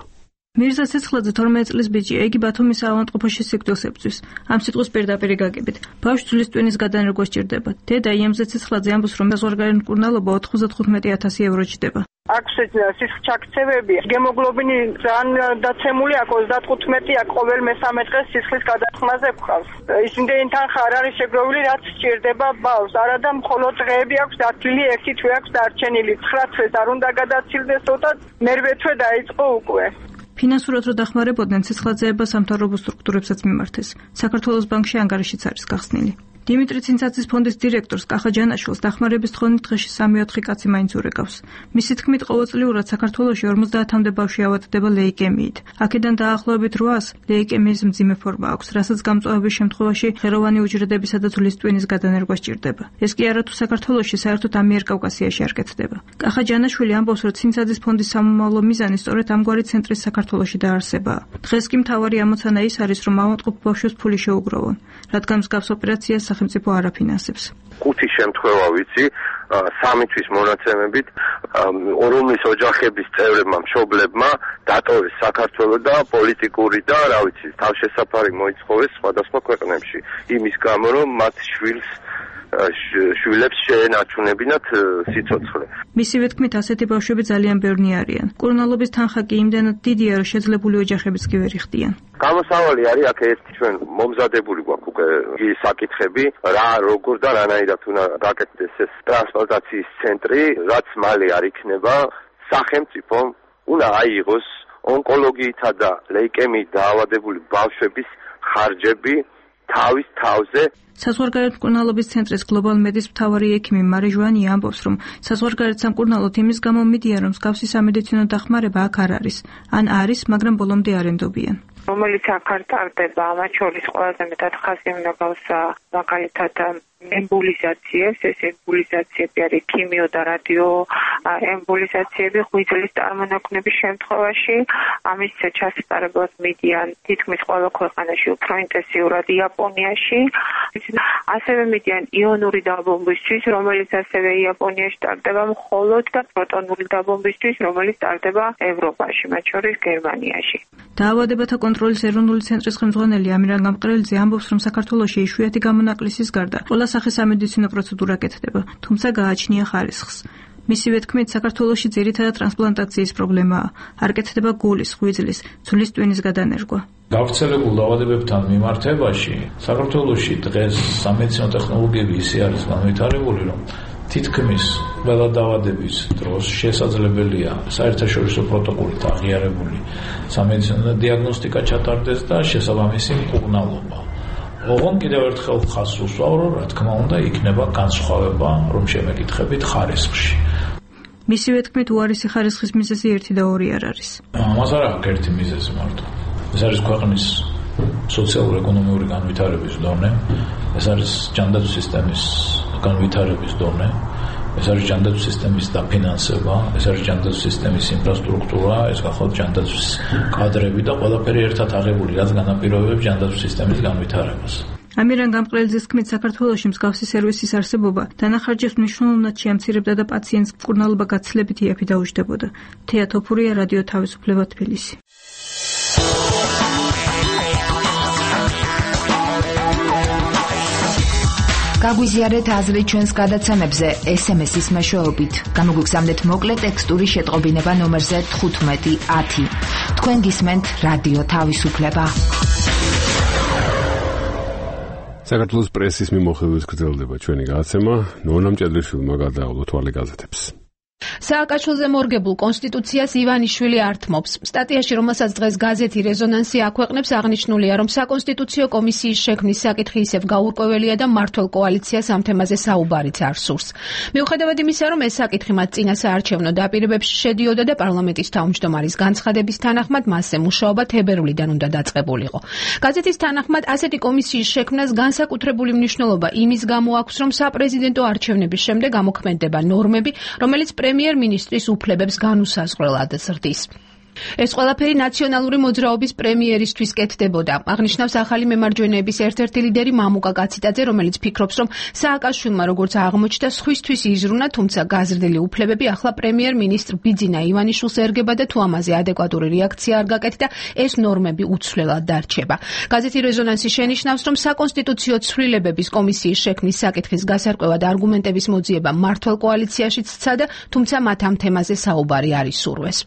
მირზა ცეცხლაძე თორმეტ წლის ბიჭია, იგი ბათუმის ავადმყოფოში სიკვდილს ებრძვის. ამ სიტყვის პირდაპირ გაგებით. ბავშვს ძვლის ტვინის გადანერგვა სჭირდება. დედა იემზე ცეცხლაძე ამბობს, რომ საზღვარგარეთ მკურნალობა ოთხმოცდახუთმეტი ათასი ევრო ჭდება. აქვს სისხლჩაქცევები, გემოგლობინი ძალიან დაცემული აქვს ოცდათხუთმეტი აქ ყოველ მესამე დღეს სისხლის გადაწყმაზე გვყავს. ისინდენი თანხა არ არის შეგროვილი, რაც სჭირდება ბავშვს. არადა მხოლოდ დღეები აქვს დათვლილი, ერთი თვე აქვს დარჩენილი. ცხრა თვეს არ უნდა გადაცილდეს ცოტა, მერვე თვე დაიწყო უკვე. ფინანსურად რო დახმარებოდნენ, ცეცხლაძეება სამთავრობო სტრუქტურებსაც მიმართეს. საქართველოს ბანკში ანგარიშიც არის გახსნილი. დიმიტრი ცინცაძის ფონდის დირექტორს კახა ჯანაშვილს დახმარების თხოვნით დღეში სამი-ოთხი კაცი მაინც ურეკავს. მისი თქმით, ყოველწლიურად საქართველოში ორმოცდაათამდე ბავშვი ავადდება ლეიკემიით. აქედან დაახლოებით რვას ლეიკემიის მძიმე ფორმა აქვს, რასაც გამწვავების შემთხვევაში ღეროვანი უჯრედებისა და ძვლის ტვინის გადანერგვა სჭირდება. ეს კი არა თუ საქართველოში, საერთოდ ამიერკავკასიაში არ კეთდება. კახა ჯანაშვილი ამბობს, რომ ცინცაძის ფონდის სამომავლო მიზანი სწორედ ამგვარი ცენტრის საქართველოში დაარსებაა. დღეს კი მთავარი ამოცანა ის არის, რომ ავადმყოფ ბავშვებს ფული შეუგროვონ, რადგან მსგავს ოპერაციას სახელმწიფო არ აფინანსებს. ხუთი შემთხვევა ვიცი, სამი თვის მონაცემებით, რომლის ოჯახების წევრებმა, მშობლებმა დატოვეს საქართველოს და პოლიტიკური და, რა ვიცი, თავშესაფარი მოიცხოვეს სხვადასხვა ქვეყნებში. იმის გამო, რომ მათ შვილს შვილებს შეენარჩუნებინათ სიცოცხლე. მისივე თქმით, ასეთი ბავშვები ძალიან ბევრი არიან. კურნალობის თანხა კი იმდენად დიდია, რომ შეძლებული ოჯახებიც კი ვერ იხდიან. გამოსავალი არის აქ ეს ჩვენ მომზადებული გვაქვს უკვე საკითხები, რა როგორ და რანაირად უნდა გაკეთდეს ეს ტრანსპლანტაციის ცენტრი, რაც მალე არ იქნება, სახელმწიფომ უნდა აიღოს ონკოლოგიითა და ლეიკემიით დაავადებული ბავშვების ხარჯები თავის თავზე. საზღვარგარეთ მკურნალობის ცენტრის გლობალ მედის მთავარი ექიმი მარი ჟვანი ამბობს, რომ საზღვარგარეთ სამკურნალოდ იმის გამო მიდიან, რომ მსგავსი სამედიცინო დახმარება აქ არ არის, ან არის, მაგრამ ბოლომდე არ ენდობიან. რომელიც აქ არ ტარდება, მათ შორის ყველაზე მეტად ხაზი უნდა გავსვა მაგალითად ემბოლიზაციებს, ეს ემბოლიზაციები არის ქიმიო და რადიო ემბოლიზაციები ღვიძლის წარმონაქმნების შემთხვევაში, ამის ჩასატარებლად მიდიან თითქმის ყველა ქვეყანაში, უფრო ინტენსიურად იაპონიაში. ასევე მიდიან იონური დაბომბვისთვის, რომელიც ასევე იაპონიაში ტარდება მხოლოდ და პროტონული დაბომბვისთვის, რომელიც ტარდება ევროპაში, მათ შორის გერმანიაში. დაავადებათა კონტროლის ეროვნული ცენტრის ხელმძღვანელი ამირან გამყრელიძე ამბობს, რომ საქართველოში იშვიათი გამონაკლისის გარდა ყველა სახის სამედიცინო პროცედურა კეთდება, თუმცა გააჩნია ხარისხს. მისივე თქმით, საქართველოში ძირითადად ტრანსპლანტაციის პრობლემაა. არ კეთდება გულის, ღვიძლის, ძვლის ტვინის გადანერგვა. გავრცელებულ დაავადებებთან მიმართებაში საქართველოში დღეს სამედიცინო ტექნოლოგიები ისე არის განვითარებული, რომ თითქმის ყველა დაავადების დროს შესაძლებელია საერთაშორისო პროტოკოლით აღიარებული სამედიცინო დიაგნოსტიკა ჩატარდეს და შესაბამისი მკურნალობა. ოღონდ კიდევ ერთხელ ხაზს უსვავ, რომ რა თქმა უნდა იქნება განსხვავება, რომ შემეკითხებით ხარისხში. მისივე თქმით, უარესი ხარისხის მიზეზი ერთი და ორი არ არის. ამას არ აქვს ერთი მიზეზი მარტო. ეს არის ქვეყნის სოციალურ-ეკონომიური განვითარების დონე, ეს არის ჯანდაცვის სისტემის განვითარების დონე, ეს არის ჯანდაცვის სისტემის დაფინანსება, ეს არის ჯანდაცვის სისტემის ინფრასტრუქტურა, ეს გახლავთ ჯანდაცვის კადრები და ყველაფერი ერთად აღებული, რაც განაპირობებს ჯანდაცვის სისტემის განვითარებას. ამირან გამყრელიძის თქმით, საქართველოში მსგავსი სერვისის არსებობა დანახარჯებს მნიშვნელოვნად შეამცირებდა და პაციენტს მკურნალობა გაცილებით იაფი დაუჯდებოდა. თეა თოფურია, რადიო თავისუფლება, თბილისი. გაგვიზიარეთ აზრი ჩვენს გადაცემებზე ეს ემ ეს-ის მეშვეობით. გამოგვიგზავნეთ მოკლე ტექსტური შეტყობინება ნომერზე თხუთმეტი ათი. თქვენ გისმენთ რადიო თავისუფლება. საქართველოს პრესის მიმოხილვის გრძელდება ჩვენი გადაცემა. ნონა მჭედრიშვილმა გადაავალო თვალე გაზეთებს. სააკაშვილზე მორგებულ კონსტიტუციას ივანიშვილი ართმობს. სტატიაში, რომელსაც დღეს გაზეთი რეზონანსი აქვეყნებს, აღნიშნულია, რომ საკონსტიტუციო კომისიის შექმნის საკითხი ისევ გაურკვეველია და მმართველ კოალიციას ამ თემაზე საუბარიც არ სურს. მიუხედავად იმისა, რომ ეს საკითხი მათ წინა საარჩევნო დაპირებებში შედიოდა და პარლამენტის თავმჯდომარის განცხადების თანახმად მასზე მუშაობა თებერვლიდან უნდა დაწყებულიყო. გაზეთის თანახმად ასეთი კომისიის შექმნას განსაკუთრებული მნიშვნელობა იმის გამო აქვს, რომ საპრეზიდენტო არჩევნების შემდეგ ამოქმედდება ნორმები, რომელიც პრემიერ-მინისტრის უფლებებს განუსაზღვრელად ზრდის. ეს ყველაფერი ნაციონალური მოძრაობის პრემიერისთვის კეთდებოდა. აღნიშნავს ახალი მემარჯვენეების ერთ-ერთი ლიდერი მამუკა კაციტაძე, რომელიც ფიქრობს, რომ სააკაშვილმა როგორც აღმოჩნდა, სხვისთვის იზრუნა, თუმცა გაზრდილი უფლებები ახლა პრემიერ-მინისტრ ბიძინა ივანიშვილს ერგება და თუ ამაზე ადეკვატური რეაქცია არ გაკეთდა, ეს ნორმები უცვლელად დარჩება. გაზეთი რეზონანსი შენიშნავს, რომ საკონსტიტუციო ცვლილებების კომისიის შექმნის საკითხის გასარკვევად არგუმენტების მოძიება მმართველ კოალიციაშიც სცადა, თუმცა მათ ამ თემაზე საუბარი არ ისურვეს.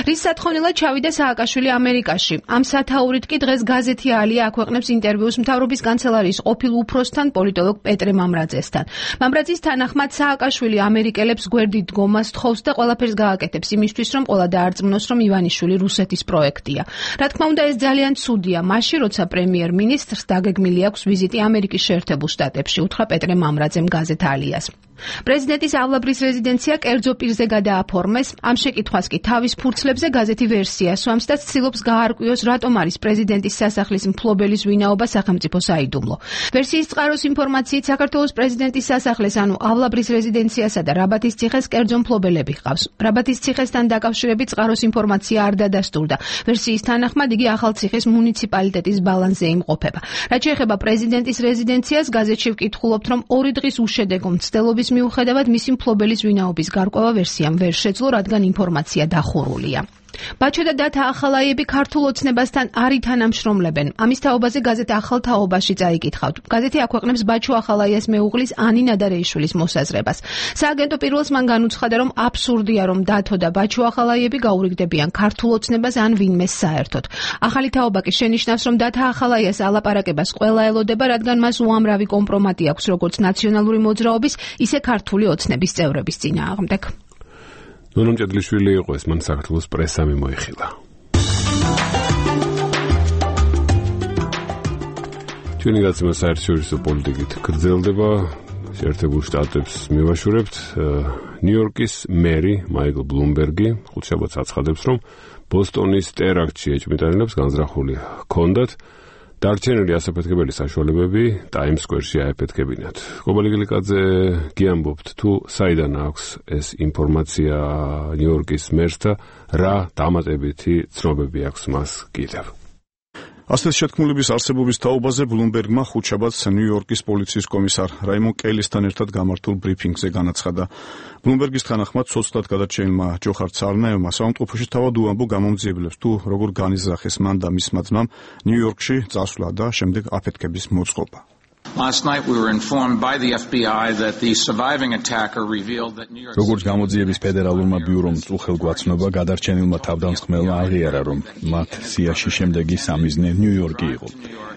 რის სათხოვნელად ჩავიდა სააკაშვილი ამერიკაში. ამ სათაურით კი დღეს გაზეთი ალია აქვეყნებს ინტერვიუს მთავრობის კანცელარიის ყოფილ უფროსთან, პოლიტოლოგ პეტრე მამრაძესთან. მამრაძის თანახმად სააკაშვილი ამერიკელებს გვერდით დგომას თხოვს და ყველაფერს გააკეთებს იმისთვის, რომ ყველა დაარწმუნოს, რომ ივანიშვილი რუსეთის პროექტია. რა თქმა უნდა, ეს ძალიან ცუდია, მაშინ როცა პრემიერ-მინისტრს დაგეგმილი აქვს ვიზიტი ამერიკის შეერთებულ შტატებში, უთხრა პეტრე მამრაძემ გაზეთ ალიას. პრეზიდენტის ავლაბრის რეზიდენცია კერძო პირზე გადააფორმეს. ამ შეკითხვას კი თავის ფურცლებზე გაზეთი ვერსია სვამს და ცდილობს გაარკვიოს, რატომ არის პრეზიდენტის სასახლის მფლობელის ვინაობა სახელმწიფო საიდუმლო. ვერსიის წყაროს ინფორმაციით საქართველოს პრეზიდენტის სასახლეს, ანუ ავლაბრის რეზიდენციასა და რაბათის ციხეს კერძო მფლობელები ჰყავს. რაბათის ციხესთან დაკავშირებით წყაროს ინფორმაცია არ დადასტურდა. ვერსიის თანახმად იგი ახალციხის მუნიციპალიტეტის ბალანსზე იმყოფება. რაც შეეხება პრეზიდენტის რეზიდენციას, გაზეთში ვკითხულობთ, რომ ორი დღის უშედეგო მცდელობის მიუხედავად მისი მფლობელის ვინაობის გარკვევა ვერსიამ ვერ შეძლო, რადგან ინფორმაცია დახურულია. ბაჩო და დათა ახალაიები ქართულ ოცნებასთან არ ითანამშრომლებენ. ამის თაობაზე გაზეთ ახალ თაობაში წაიკითხავთ. გაზეთი აქვეყნებს ბაჩო ახალაიას მეუღლის ანი ნადარეიშვილის მოსაზრებას. სააგენტო პირველს მან განუცხადა, რომ აბსურდია, რომ დათო და ბაჩო ახალაიები გაურიგდებიან ქართულ ოცნებას ან ვინმეს საერთოდ. ახალი თაობა კი შენიშნავს, რომ დათა ახალაიას ალაპარაკებას ყველა ელოდება, რადგან მას უამრავი კომპრომატი აქვს როგორც ნაციონალური მოძრაობის, ისე ქართული ოცნების წევრების წინააღმდეგ. ნონო მჭედლიშვილი იყო ეს, მან საქართველოს პრესა მიმოიხილა. ჩვენი გაცემა საერთაშორისო პოლიტიკით გრძელდება. შეერთებულ შტატებს მივაშურებთ. ნიუ-იორკის მერი მაიკლ ბლუმბერგი ხუთშაბათს აცხადებს, რომ ბოსტონის ტერაქტში ეჭვმიტანილებს განზრახული ჰქონდათ. დარჩენილი ასაფეთქებელი საშუალებები ტაიმს სკვერში აეფეთქებინათ. კობალი გილიკაძე გიამბობთ, თუ საიდან აქვს ეს ინფორმაცია ნიუ-იორკის მერს და რა დამატებითი ცნობები აქვს მას კიდევ. ასეთი შეთქმულების არსებობის თაობაზე ბლუმბერგმა ხუთშაბათს ნიუ-იორკის პოლიციის კომისარ რაიმონ კელისთან ერთად გამართულ ბრიფინგზე განაცხადა. ბლუმბერგის თანახმად ცოცხლად გადარჩენილმა ჯოხარ ცარნაევმა საავადმყოფოში თავად უამბო გამომძიებლებს, თუ როგორ განიზრახეს მან და მისმა ძმამ ნიუ-იორკში წასვლა და შემდეგ აფეთქების მოწყობა. Last night we were informed by the F B I that the surviving attacker revealed that New York როგორც გამოძიების ფედერალურმა ბიურომ წუხელგვაცნობა, გადარჩენილმა თავდამსხმელმა აღიარა, რომ მათ სიაში შემდეგი სამიზნე ნიუ-იორკი იყო.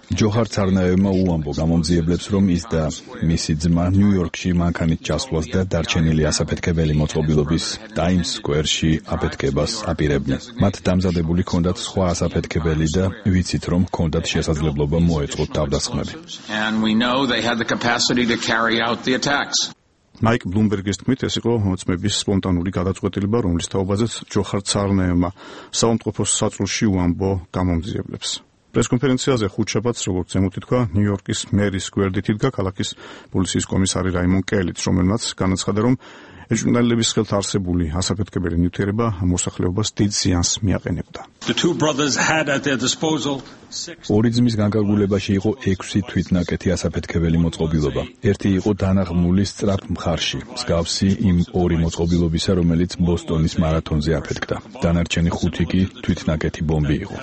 ჯოხარ ცარნაევმა უამბო გამომძიებლებს, რომ ის და მისი ძმა ნიუ-იორკში მანქანით ჩასვლას და დარჩენილი ასაფეთქებელი მოწყობილობის ტაიმს სკვერში აფეთქებას აპირებდნენ. მათ დამზადებული ჰქონდათ სხვა ასაფეთქებელი და ვიცით, რომ ჰქონდათ შესაძლებლობა მოეწყოთ თავდასხმები. know they had the capacity to carry out the attacks. მაიკ ბლუმბერგის თქმით, ეს იყო მოწმების სპონტანური გადაწყვეტილება, რომლის თაობაზეც ჯოხარ ცარნაევმა საავადმყოფოს საწოლში უამბო გამომძიებლებს. პრესკონფერენციაზე ხუთშაბათს, როგორც ზემოთი თქვა, ნიუ-იორკის მერის გვერდით იდგა ქალაქის პოლიციის კომისარი რაიმონ კელიც, რომელმაც განაცხადა, რომ ეჭვმიტანილების ხელთ არსებული ასაფეთქებელი ნივთიერება მოსახლეობას დიდ ზიანს მიაყენებდა. ორი ძმის განკარგულებაში იყო ექვსი თვითნაკეთი ასაფეთქებელი მოწყობილობა. ერთი იყო დანაღმული სწრაფ მხარში, მსგავსი იმ ორი მოწყობილობისა, რომელიც ბოსტონის მარათონზე აფეთქდა. დანარჩენი ხუთი კი თვითნაკეთი ბომბი იყო.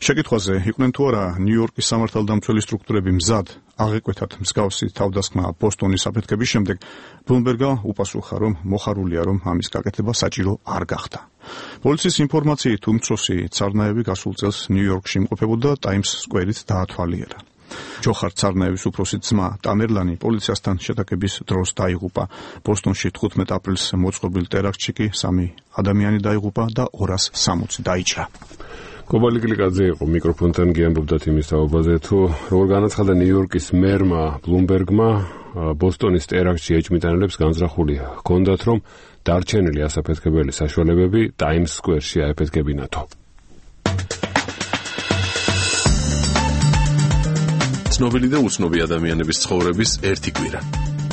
შეკითხვაზე იყვნენ თუ არა ნიუ-იორკის სამართალდამცველი სტრუქტურები მზად აღეკვეთათ მსგავსი თავდასხმა ბოსტონის აფეთქების შემდეგ, ბლუმბერგა უპასუხა, რომ მოხარულია, რომ ამის გაკეთება საჭირო არ გახდა. პოლიციის ინფორმაციით უმცროსი ცარნაევი გასულ წელს ნიუ-იორკში იმყოფებოდა ტაიმს სკვერით დაათვალიერა. ჯოხარ ცარნაევის უფროსი ძმა ტამერლანი პოლიციასთან შეტაკების დროს დაიღუპა. ბოსტონში თხუთმეტ აპრილს მოწყობილ ტერაქტში კი სამი ადამიანი დაიღუპა და ორას სამოცი დაიჭრა. კობალი გლიკაძე იყო მიკროფონთან, გიამბობდათ იმის თაობაზე, თუ როგორ განაცხადა ნიუ-იორკის მერმა ბლუმბერგმა, ბოსტონის ტერაქტში ეჭვმიტანილებს განზრახული ჰქონდათ, რომ დარჩენილი ასაფეთქებელი საშუალებები ტაიმს სკვერში აეფეთქებინათო. ცნობილი და უცნობი ადამიანების ცხოვრების ერთი კვირა.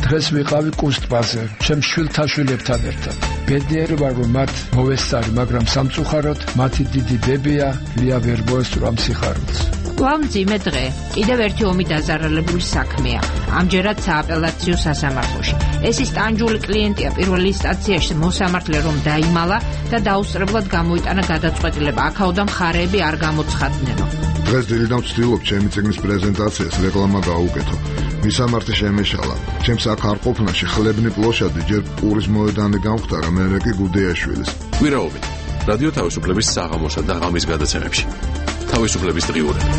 დღეს ვიყავი კუსტბაზე, ჩემ შვილთა შვილებთან ერთად. ბედნიერი ვარ, რომ მათ მოვესწარი, მაგრამ სამწუხაროდ მათი დიდი დებია ლია ვერ მოესწრო სიხარულს. კვლავ დღე, კიდევ ერთი ომი დაზარალებული საქმეა. ამჯერად სააპელაციო სასამართლოში. ეს ის ტანჯული კლიენტია პირველ ინსტანციაში მოსამართლე რომ დაიმალა და დაუსწრებლად გამოიტანა გადაწყვეტილება. აქაოდან მხარეები არ გამოცხადნენო. დღეს დილიდან ვცდილობ ჩემი წიგნის პრეზენტაციას რეკლამა გაუკეთო. მისამართი შემეშალა. ჩემს აქ არ ყოფნაში ხლებნი პლოშადი ჯერ პურის მოედანი გამختარა, მერე კი გუდეაშვილის. კვირაობით რადიო თავისუფლების საღამოსა და ღამის გადაცემებში. თავისუფლების დღიურები.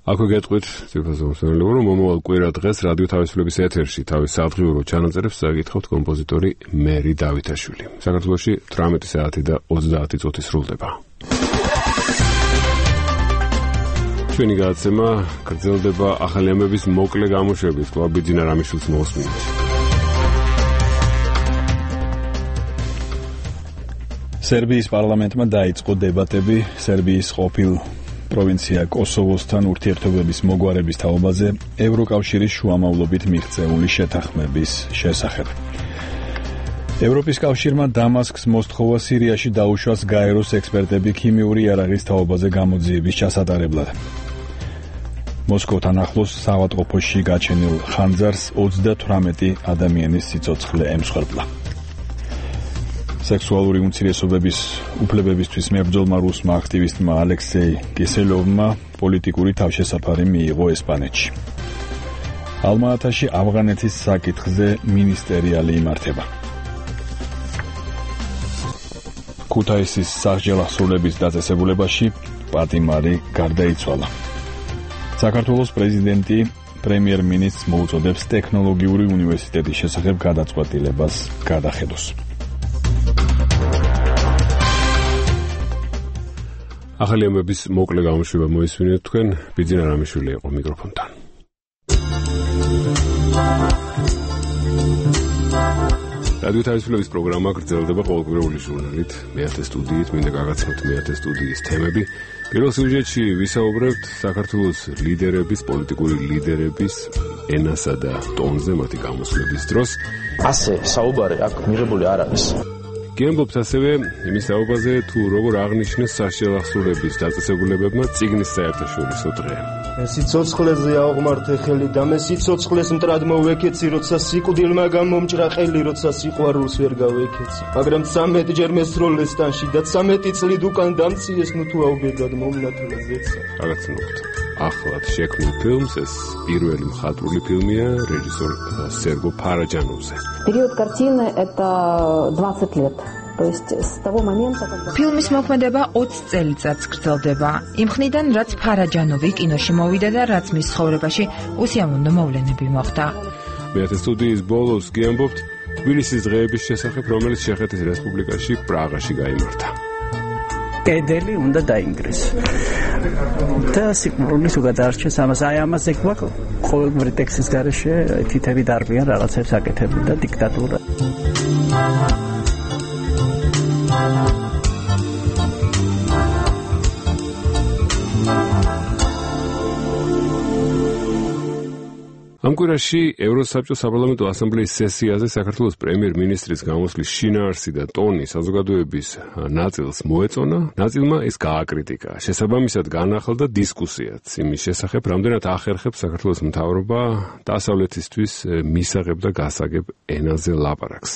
აქვე გეტყვით ციფრაზომსონელო რომ მომავალ კვირა დღეს რადიო თავისუფლების ეთერში თავის სადღიურო ჩანაწერებს წაგითხავთ კომპოზიტორი მერი დავითაშვილი. საქართველოში თვრამეტი საათი და ოცდაათი წუთი სრულდება. ჩვენი გადაცემა გრძელდება ახალი ამბების მოკლე გამოშვებით. კვლავ ბიძინა რამიშვილს მოусმინეთ. სერბიის პარლამენტმა დაიწყო დებატები სერბიის ყოფილ პროვინცია კოსოვოსთან ურთიერთობების მოგვარების თაობაზე ევროკავშირის შუამავლობით მიღწეული შეთანხმების შესახებ. ევროპის კავშირმა დამასკს მოსთხოვა სირიაში დაუშვას გაეროს ექსპერტები ქიმიური იარაღის თაობაზე გამოძიების ჩასატარებლად. მოსკოვთან ახლოს საავადმყოფოში გაჩენილ ხანძარს ოცდათვრამეტი ადამიანის სიცოცხლე ემსხვერპლა. სექსუალური უმცირესობების უფლებებისთვის მებრძოლმა რუსმა აქტივისტმა ალექსეი კისელოვმა პოლიტიკური თავშესაფარი მიიღო ესპანეთში. ალმა-ატაში ავღანეთის საკითხზე მინისტერიალი იმართება. ქუთაისის სასჯელახსოვრების დაწესებულებაში პატიმარი გარდაიცვალა. საქართველოს პრეზიდენტი პრემიერ-მინისტრს მოუწოდებს ტექნოლოგიური უნივერსიტეტის შესახებ გადაწყვეტილებას გადახედოს. ახალი ამბების მოკლე გამოშვება მოისმინეთ თქვენ, ბიძინა რამიშვილი იყო მიკროფონთან. რადიო თავისუფლების პროგრამა გრძელდება ყოველკვირეული ჟურნალით, მეათე სტუდიით, მინდა გაგაცნოთ მეათე სტუდიის თემები. პირველ სიუჟეტში ვისაუბრებთ საქართველოს ლიდერების, პოლიტიკური ლიდერების ენასა და ტონზე მათი გამოსვლების დროს. ასე საუბარი აქ მიღებული არ არის. გემბობთ ასევე იმის საუბაზე თუ როგორ აღნიშნეს სასჯელახსოვრების დაწესებულებებმა წიგნის საერთაშორისო დღე. სიცოცხლეზე აღმართე ხელი და მე სიცოცხლეს მტრად მოვეკეცი, როცა სიკვდილმა გამომჭრა ყელი, როცა სიყვარულს ვერ გავეკეცი. მაგრამ ცამეტი ჯერ მესროლეს ტანში და ცამეტი წლით უკან დამციეს, ნუ თუ აუბედად მომნათლა ზეცა. გაგაცნობთ ახლად შექმნილ ფილმს, ეს პირველი მხატვრული ფილმია რეჟისორ სერგო ფარაჯანოვზე. Период картины это двадцать лет. То есть с того момента, когда ფილმის მოქმედება ოცი წელიწადს გრძელდება. იმ ხნიდან, რაც ფარაჯანოვი კინოში მოვიდა და რაც მის ცხოვრებაში უსიამოვნო მოვლენები მოხდა. მეათე სტუდიის ბოლოს გიამბობთ თბილისის დღეების შესახებ, რომელიც ჩეხეთის რესპუბლიკაში პრაღაში გაიმართა. კედელი უნდა დაინგრეს. და სიკვდილის უგადარჩეს ამას აი ამაზე გვაქვს ყოველგვარი ტექსტის გარეშე თითები დარბიან რაღაცებს აკეთებენ და დიქტატურა. ამ კვირაში ევროსაბჭოს საპარლამენტო ასამბლეის სესიაზე საქართველოს პრემიერ-მინისტრის გამოსვლის შინაარსი და ტონი საზოგადოების ნაწილს მოეწონა, ნაწილმა ეს გააკრიტიკა. შესაბამისად განახლდა დისკუსიაც იმის შესახებ, რამდენად ახერხებს საქართველოს მთავრობა დასავლეთისთვის მისაღებ და გასაგებ ენაზე ლაპარაკს.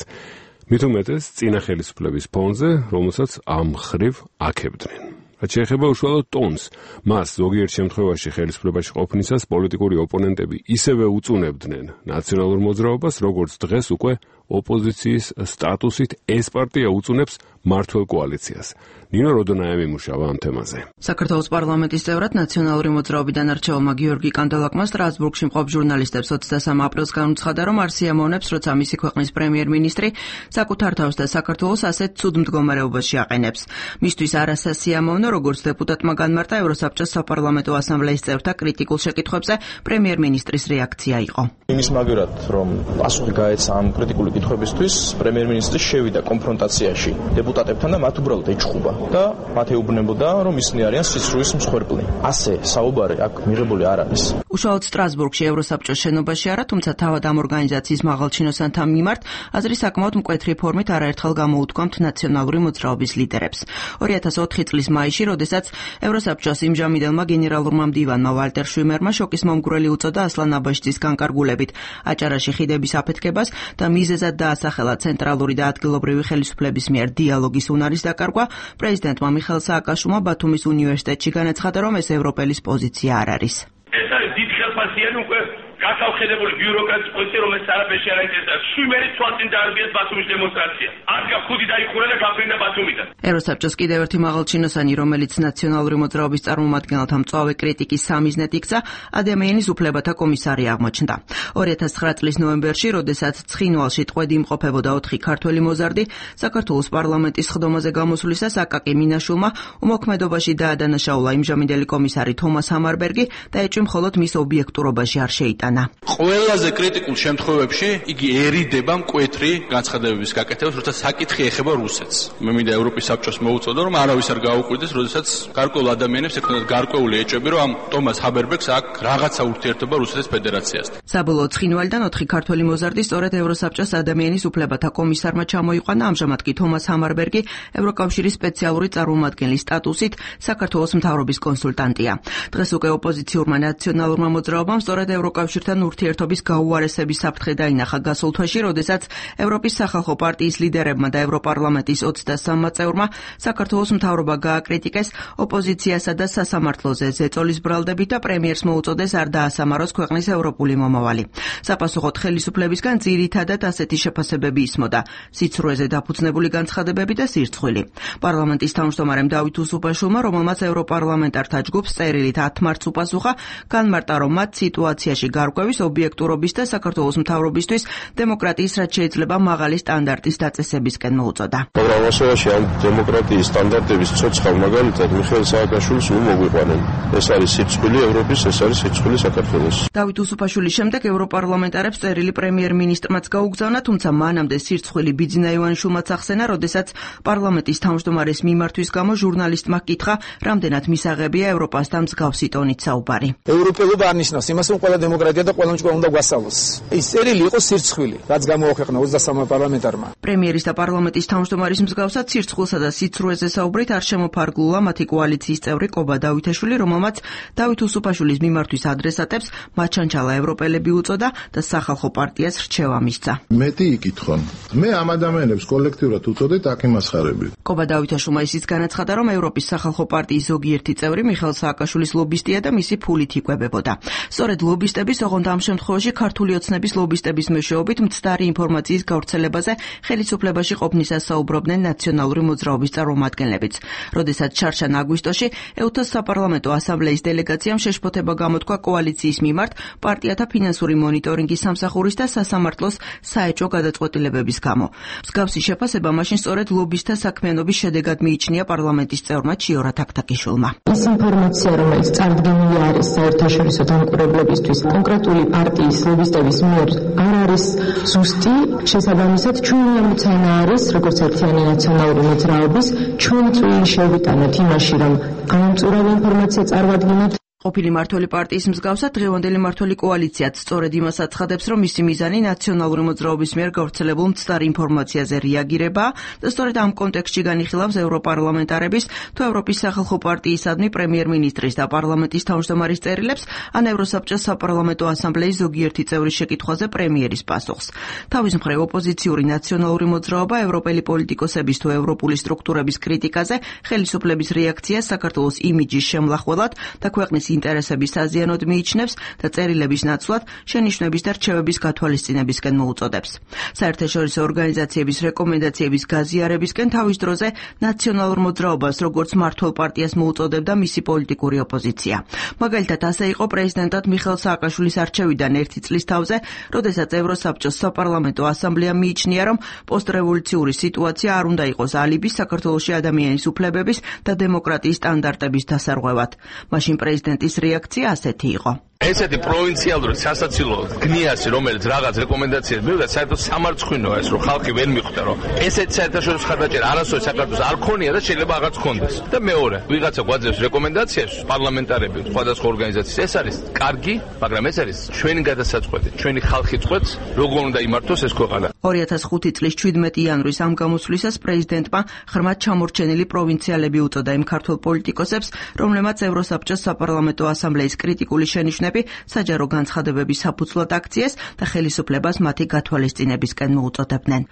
მით უმეტეს წინა ხელისუფლების ფონზე, რომელსაც ამ მხრივ აქებდნენ. რაც შეეხება უშუალოდ ტონს, მას ზოგიერთ შემთხვევაში ხელისუფლებაში ყოფნისას პოლიტიკური ოპონენტები ისევე უწუნებდნენ ნაციონალურ მოძრაობას, როგორც დღეს უკვე ოპოზიციის სტატუსით ეს პარტია უწუნებს მართლ კოალიციას. ნინო როდონაევი მუშავა ამ თემაზე. საქართველოს პარლამენტის წევრად ნაციონალური მოძრაობიდან არჩეულმა გიორგი კანდელაკმა სტრასბურგში მყოფ ჟურნალისტებს ოცდასამი აპრილს განუცხადა, რომ არ სიამოვნებს, როცა მისი ქვეყნის პრემიერ-მინისტრი საკუთარ თავს და საქართველოს ასეთ ცუდ მდგომარეობაში აყენებს. მისთვის არასასიამოვნო, როგორც დეპუტატმა განმარტა ევროსაბჭოს საპარლამენტო ასამბლეის წევრთა კრიტიკულ შეკითხვებზე პრემიერ-მინისტრის რეაქცია იყო. იმის მაგერად, რომ პასუხი გაეცა ამ კრიტიკული კითხვებისთვის, პრემიერ-მინისტრი შევიდა კონფრონტაციაში დეპუტატებთან და მათ უბრალოდ ეჩხუბა და მათ ეუბნებოდა, რომ ისინი არიან სისხლის მსხვერპლი. ასე საუბარი აქ მიღებული არ არის. უშუალოდ სტრასბურგში ევროსაბჭოს შენობაში არა, თუმცა თავად ამ ორგანიზაციის მაღალჩინოსანთა მიმართ აზრი საკმაოდ მკვეთრი ფორმით არაერთხელ გამოუთქვამთ ნაციონალური მოძრაობის ლიდერებს. ორი ათას ოთხი წლის მაისში, როდესაც ევროსაბჭოს იმჟამიდელმა გენერალურმა მდივანმა ვალტერ შვიმერმა შოკის მომგვრელი უწოდა ასლან აბაშიძის განკარგულებით, აჭარაში ხიდების აფეთქებას და მიზეზად მისად დაასახელა ცენტრალური და ადგილობრივი ხელისუფლების მიერ დიალოგის უნარის დაკარგვა, პრეზიდენტმა მიხეილ სააკაშვილმა ბათუმის უნივერსიტეტში განაცხადა, რომ ეს ევროპელის პოზიცია არ არის. ეს არის დიდ ხელფასიანი უკვე გასავხედებული ბიუროკრატიის პოზიცია, რომელიც არაფერში არ აინტერესებს. შვიმერი თვალწინ დაარბიეს ბათუმის დემონსტრაცია. ადგა ხუთი დაიხურა და გაფრინდა ბათუმიდან. ევროსაბჭოს კიდევ ერთი მაღალჩინოსანი, რომელიც ნაციონალური მოძრაობის წარმომადგენელთა მწვავე კრიტიკის სამიზნედ იქცა, ადამიანის უფლებათა კომისარი აღმოჩნდა. ორი ათას ცხრა წლის ნოემბერში, როდესაც ცხინვალში ტყვედ იმყოფებოდა ოთხი ქართველი მოზარდი, საქართველოს პარლამენტის სხდომაზე გამოსვლისას აკაკი მინაშვილმა უმოქმედობაში დაადანაშაულა იმჟამინდელი კომისარი თომას ჰამარბერგი და ეჭვი მხოლოდ მის ობიექტურობაში არ შეიტანა. ყველაზე კრიტიკულ შემთხვევებში იგი ერიდება მკვეთრი განცხადებების გაკეთებას, როცა საკითხი ეხება რუსეთს. მე მინდა ევროპის საბჭოს მოუწოდო, რომ არავის არ გაუკვირდეს, როდესაც გარკვეულ ადამიანებს ექნათ გარკვეული ეჭვები, რომ ამ ტომას ჰაბერბერგს აქვს რაღაცა ურთიერთობა რუსეთის ფედერაციასთან. საბოლოოდ ცხინვალიდან ოთხი ქართველი მოზარდი სწორედ ევროსაბჭოს ადამიანის უფლებათა კომისარმა ჩამოიყვანა, ამჟამად კი თომას ჰამარბერგი ევროკავშირის სპეციალური წარმომადგენლის სტატუსით საქართველოს მთავრობის კონსულტანტია. დღეს უკვე ოპოზიციურმა ნაციონალურმა მოძრაობამ სწორედ ევროკავშირთან ურთიერთობის გაუარესების საფრთხე დაინახა გასულ თვეში, როდესაც ევროპის სახალხო პარტიის ლიდერებმა და ევროპარლამენტის ოცდასამმა წევრმა საქართველოს მთავრობა გააკრიტიკეს ოპოზიციასა და სასამართლოზე ზეწოლის ბრალდებით და პრემიერს მოუწოდეს არ დაასამაროს ქვეყნის ევროპული მომავალი. საპასუხოდ ხელისუფლებისგან ძირითადად ასეთი შეფასებები ისმოდა: სიცრუეზე დაფუძნებული განცხადებები და სირცხვილი. პარლამენტის თავმჯდომარემ დავით უსუპაშვილმა, რომელმაც ევროპარლამენტართა ჯგუფს წერილით ათ მარტს უპასუხა, განმარტა, რომ მათ სიტუაციაში გარკვევის, ობიექტურობის და საქართველოს მთავრობისთვის დემოკრატიის რაც შეიძლება მაღალი სტანდარტის დაწესებისკენ მოუწოდა. მაგრამ ასევაში ამ დემოკრატიის სტანდარტების ცოცხალ მაგალითად მიხეილ სააკაშვილს უმოგვიყვანენ. ეს არის სიცხვილი ევროპის, ეს არის სიცხვილი საქართველოს. დავით უსუპაშვილის შემდეგ ევროპარლამენტარებს წერილი პრემიერ-მინისტრმაც გაუგზავნა, თუმცა მანამდე სირცხვილი ბიძინა ივანიშვილმაც ახსენა, როდესაც პარლამენტის თავმჯდომარის მიმართვის გამო ჟურნალისტმა ჰკითხა, რამდენად მისაღებია ევროპასთან მსგავსი ტონით საუბარი. ევროპელობა არ ნიშნავს იმას, რომ ყველა დემოკრატია და ყველა მჭკვრა უნდა გვასწავლოს. ის წერილი იყო სირცხვილი, რაც გამოაქვეყნა ოცდასამმა პარლამენტარმა. პრემიერის და პარლამენტის თავმჯდომარის მსგავსად სირცხვილსა და სიცრუეზე საუბრით არ შემოფარგლულა მათი კოალიციის წევრი ყობა დავითაშვილი, რომელმაც დავით უსუპაშვილის მიმართვის ადრესატებს მაჩანჩალა ევროპელები უწოდა და სახალხო პარტიას რჩევა მისცა. მეტი იკითხონ. მე ამ ადამიანებს კოლექტიურად უწოდეთ აქ იმასხარებით. ყობა დავითაშვილმა ისიც განაცხადა, რომ ევროპის სახალხო პარტიის ზოგიერთი წევრი მიხეილ სააკაშვილის ლობისტია და მისი ფულით იკვებებოდა. სწორედ ლობისტების, ოღონდ ამ შემთხვევაში ქართული ოცნების ლობისტების მეშვეობით მცდარი ინფორმაციის გავრცელებაზე ხელისუფლებაში ყოფნისას საუბრობდნენ ნაციონალური მოძრაობის წარმომადგენლებიც. როდესაც ჩარჩან აგვისტოში ეუთოს საპარლამენტო ასამბლეის დელეგაციამ შეშფოთება გამოთქვა კოალიციის მიმართ პარტიათა ფინანსური მონიტორინგის სამსახურის და სასამართლოს საეჭვო გადაწყვეტილებების გამო. მსგავსი შეფასება მაშინ სწორედ ლობისტთა საქმიანობის შედეგად მიიჩნია პარლამენტის წევრმა ჩიორა თაქთაკიშვილმა. ის ინფორმაცია, რომელიც წარდგენილი არის საერთაშორისო დამკვირვებლებისთვის კონკრეტული პარტიის ლობისტების მიერ არ არის ზუსტი, შესაბამისად ჩვენი ამოცანა არის, როგორც ერთიანი ნაციონალური მოძრაობის, ჩვენ წვლილი შევიტანოთ იმაში, რომ ამომწურავი ინფორმაცია წარვადგინოთ. ყოფილი მმართველი პარტიის მსგავსად დღევანდელი მმართველი კოალიციაც სწორედ იმას აცხადებს, რომ მისი მიზანი ნაციონალური მოძრაობის მიერ გავრცელებულ მცდარ ინფორმაციაზე რეაგირებაა და სწორედ ამ კონტექსტში განიხილავს ევროპარლამენტარების თუ ევროპის სახალხო პარტიისადმი პრემიერ-მინისტრის და პარლამენტის თავმჯდომარის წერილებს ან ევროსაბჭოს საპარლამენტო ასამბლეის ზოგიერთი წევრის შეკითხვაზე პრემიერის პასუხს. თავის მხრივ ოპოზიციური ნაციონალური მოძრაობა ევროპელი პოლიტიკოსების თუ ევროპული სტრუქტურების კრიტიკაზე ხელისუფლების რეაქციას საქართველოს იმიჯის შემლახველად და ქვეყნის ინტერესების საზიანოდ მიიჩნევს და წერილების ნაცვლად შენიშვნების და რჩევების გათვალისწინებისკენ მოუწოდებს. საერთაშორისო ორგანიზაციების რეკომენდაციების გაზიარებისკენ თავის დროზე ნაციონალურ მოძრაობას როგორც მმართველ პარტიას მოუწოდებდა მისი პოლიტიკური ოპოზიცია. მაგალითად, ასე იყო პრეზიდენტად მიხეილ სააკაშვილის არჩევიდან ერთი წლის თავზე, როდესაც ევროსაბჭოს საპარლამენტო ასამბლეამ მიიჩნია, რომ პოსტრევოლუციური სიტუაცია არ უნდა იყოს ალიbi საქართველოში ადამიანის უფლებების და დემოკრატიის სტანდარტების დასარღვევად. მაშინ პრეზიდენტ ის რეაქცია ასეთი იყო. ესეთი პროვინციალური სასაცილო გნიასი, რომელიც რაღაც რეკომენდაციას მივიდა, საერთოდ სამარცხვინოა ეს, რომ ხალხი ვერ მიხვდა, რომ ესეთი საერთაშორისო ხარდაჭერა არასოდეს საქართველოს არ ქონია და შეიძლება აღარც ქონდეს. და მეორე, ვიღაცა გვაძლევს რეკომენდაციას, პარლამენტარები, სხვადასხვა ორგანიზაციის, ეს არის კარგი, მაგრამ ეს არის ჩვენი გადასაწყვეტი, ჩვენი ხალხი წყვეტს, როგორ უნდა იმართოს ეს ქვეყანა. ორი ათას ხუთი წლის შვიდმეტი იანვრის ამ გამოსვლისას პრეზიდენტმა ღრმად ჩამორჩენილი პროვინციალები უწოდა იმ ქართულ პოლიტიკოსებს, რომლებმაც ევროსაბჭოს საპარლამენტო ასამბლეის კრიტიკული შენიშვნები მოქალაქეები საჯარო განცხადებების საფუძვლად აქციეს და ხელისუფლებას მათი გათვალისწინებისკენ მოუწოდებდნენ.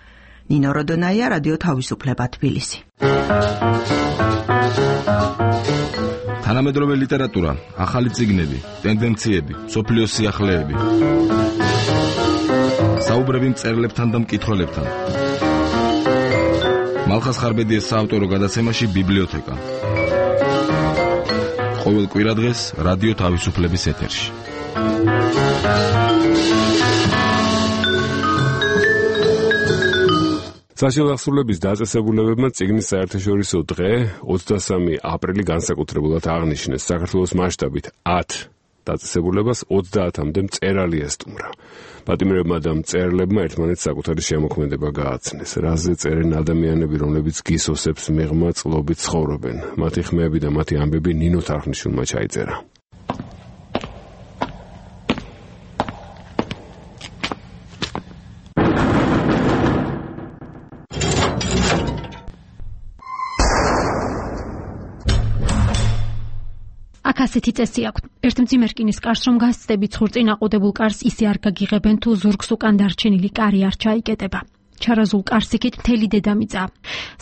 ნინო როდონაია, რადიო თავისუფლება, თბილისი. თანამედროვე ლიტერატურა, ახალი წიგნები, ტენდენციები, სოფლიოს სიახლეები. საუბრები მწერლებთან და მკითხველებთან. მალხას ხარბედიეს საავტორო გადაცემაში ბიბლიოთეკა. ყოველ კვირადღეს რადიო თავისუფლების ეთერში. საშუალო აღსრულების დაწესებულებებმა წიგნის საერთაშორისო დღე ოცდასამი აპრილი განსაკუთრებულად აღნიშნეს. საქართველოს მასშტაბით ათ დაწესებულებას ოცდაათამდე მწერალი ესტუმრა. პატიმრებმა და მწერლებმა ერთმანეთს საკუთარი შემოქმედება გააცნეს. რაზე წერენ ადამიანები, რომლებიც გისოსებს მიღმა წყლობით ცხოვრობენ. მათი ხმები და მათი ამბები ნინო თარხნიშვილმა ჩაიწერა. აქ ასეთი წესი აქვთ. ერთ მძიმე რკინის კარს რომ გასწდებით ხურწინ აყუდებულ კარს ისე არ გაგიღებენ თუ ზურგს უკან დარჩენილი კარი არ ჩაიკეტება. ჩარაზულ კარს იქით მთელი დედამიწა.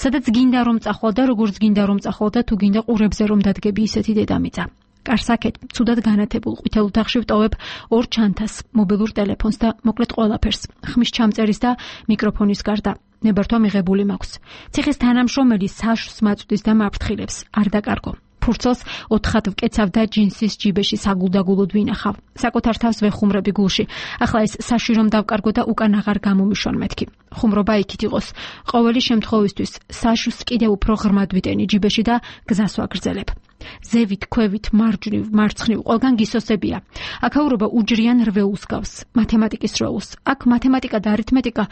სადაც გინდა რომ წახვალ და როგორც გინდა რომ წახვალ და თუ გინდა ყურებზე რომ დადგები ისეთი დედამიწა. კარს აქეთ ცუდად განათებულ ყვითელ ოთახში ვტოვებ ორ ჩანთას, მობილურ ტელეფონს და მოკლედ ყველაფერს. ხმის ჩამწერის და მიკროფონის გარდა. ნებართვა მიღებული მაქვს. ციხის თანამშრომელი საშს მაწვდის და მაფრთხილებს. არ დაკარგო. ფურცელს ოთხად ვკეცავ და ჯინსის ჯიბეში საგულდაგულოდ ვინახავ. საკუთარ თავს ვეხუმრები გულში. ახლა ეს საში რომ დავკარგო და უკან აღარ გამომიშონ მეთქი. ხუმრობა იქით იყოს. ყოველი შემთხვევისთვის საშს კიდევ უფრო ღრმად ვიტენი ჯიბეში და გზას ვაგრძელებ. ზევით, ქვევით, მარჯვნივ, მარცხნივ, ყველგან გისოსებია. აქაურობა უჯრიან რვეულს გავს, მათემატიკის რვეულს. აქ მათემატიკა და არითმეტიკა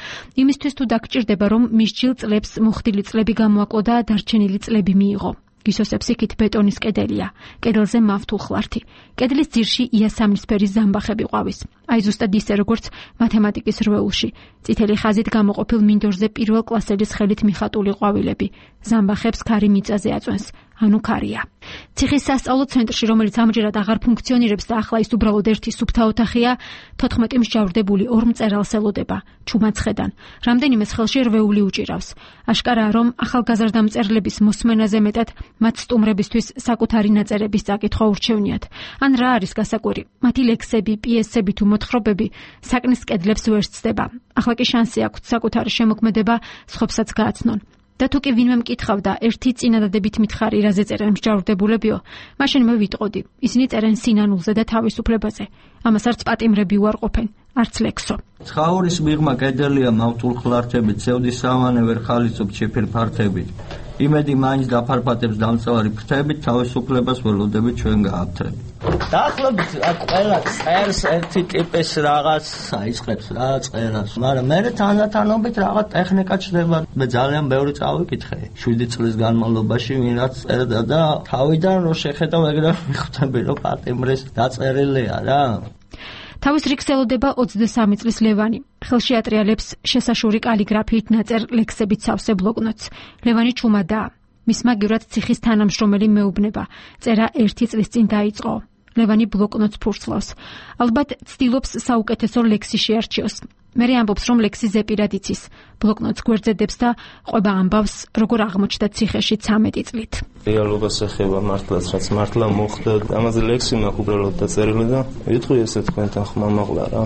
იმისთვის თუ დაგჭირდება, რომ მისჯილ წლებს მოხდილი წლები გამოაკლო და დარჩენილი წლები მიიღო. გისოსებს იქით ბეტონის კედელია. კედელზე მავთულხლართი. კედლის ძირში იასამნისფერი ზამბახები ყვავის. აი ზუსტად ისე როგორც მათემატიკის რვეულში. წითელი ხაზით გამოყოფილ მინდორზე პირველ კლასელის ხელით მიხატული ყვავილები. ზამბახებს ქარი მიწაზე აწვენს. ანუ ქარია. ციხის სასწავლო ცენტრში, რომელიც ამჯერად აღარ ფუნქციონირებს და ახლა ის უბრალოდ ერთი სუფთა ოთახია, თოთხმეტი მსჯავრდებული ორ მწერალს ელოდება, ჩუმაცხედან. რამდენიმე ხელში რვეული უჭირავს. აშკარაა, რომ ახალგაზრდა მწერლების მოსმენაზე მეტად მათ სტუმრებისთვის საკუთარი ნაწერების წაკითხვა ურჩევნიათ. ან რა არის გასაკვირი? მათი ლექსები, პიესები თუ მოთხრობები საკნის კედლებს ვერ ცდება. ახლა კი შანსი აქვთ საკუთარი შემოქმედება სხვებსაც გააცნონ. და თუ კი ვინმე მკითხავდა ერთი წინადადებით მითხარი რაზე წერენ მსჯავრდებულებიო, მაშინ მე ვიტყოდი, ისინი წერენ სინანულზე და თავისუფლებაზე. ამას არც პატიმრები უარყოფენ, არც ლექსო. ცხაურის მიღმა კედელია მავტულხლართებით, ცევდი სავანე ვერ ხალისობ ჩიფერ ფართებით. იმედი მაინც დაფარფატებს დამწევარი ფრთებით, თავისუფლებას ველოდებით ჩვენ გააფთრებით. დაახლოებით აქ ყველა წერს ერთი ტიპის რაღაც აიწყებს რა წერას, მაგრამ მე თანდათანობით რაღაც ტექნიკა ჩდება. მე ძალიან ბევრი წავიკითხე შვიდი წლის განმავლობაში, ვინ რაც წერდა და თავიდან რო შეხედავ ეგრე მიხვდები, რომ პატიმრის დაწერილია რა. თავის რიგს ელოდება ოცდასამი წლის ლევანი. ხელში ატრიალებს შესაშური კალიგრაფიით ნაწერ ლექსებით სავსე ბლოკნოტს. ლევანი ჩუმადაა. მის მაგივრად ციხის თანამშრომელი მეუბნება. წერა ერთი წლის წინ დაიწყო. ლევანი ბლოკნოტს ფურცლავს. ალბათ ცდილობს საუკეთესო ლექსი შეარჩიოს. მერე ამბობს, რომ ლექსი ზეპირად იცის. ბლოკნოტს გვერდზედებს და ყვება ამბავს, როგორ აღმოჩნდა ციხეში ცამეტი წლით. რეალობას ეხება მართლაც, რაც მართლა მოხდა. ამაზე ლექსი მაქვს უბრალოდ დაწერილი და ვიტყვი ესე თქვენთან ხმა მაღლა რა.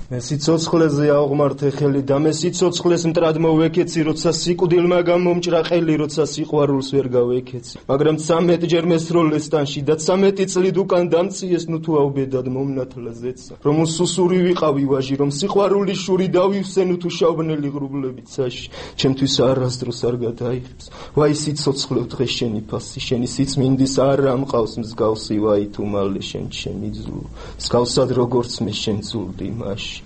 მე სიცოცხლეზე ავღმართე ხელი და მე სიცოცხლეს მტრად მოვეკეცი, როცა სიკვდილმა გამომჭრა ყელი, როცა სიყვარულს ვერ გავეკეცი. მაგრამ ცამეტი ჯერ მესროლეს ტანში და ცამეტი წლით უკან დამციეს, ნუ თუ ავბედად მომნათლა ზეცა. რომ უსუსური ვიყავი ვაჟი, რომ სიყვარულის შური დავივსე, ნუ თუ შავბნელი ღრუბლები ცაში. ჩემთვის არასდროს არ გადაიღებს. ვაი სიცოცხლე დღეს შენი ფასი, შენი სიწმინდის არ ამყავს მსგავსი, ვაი თუ მალე შენ ჩემი ძუ. მსგავსად როგორც მე შენ ძულდი მაშინ.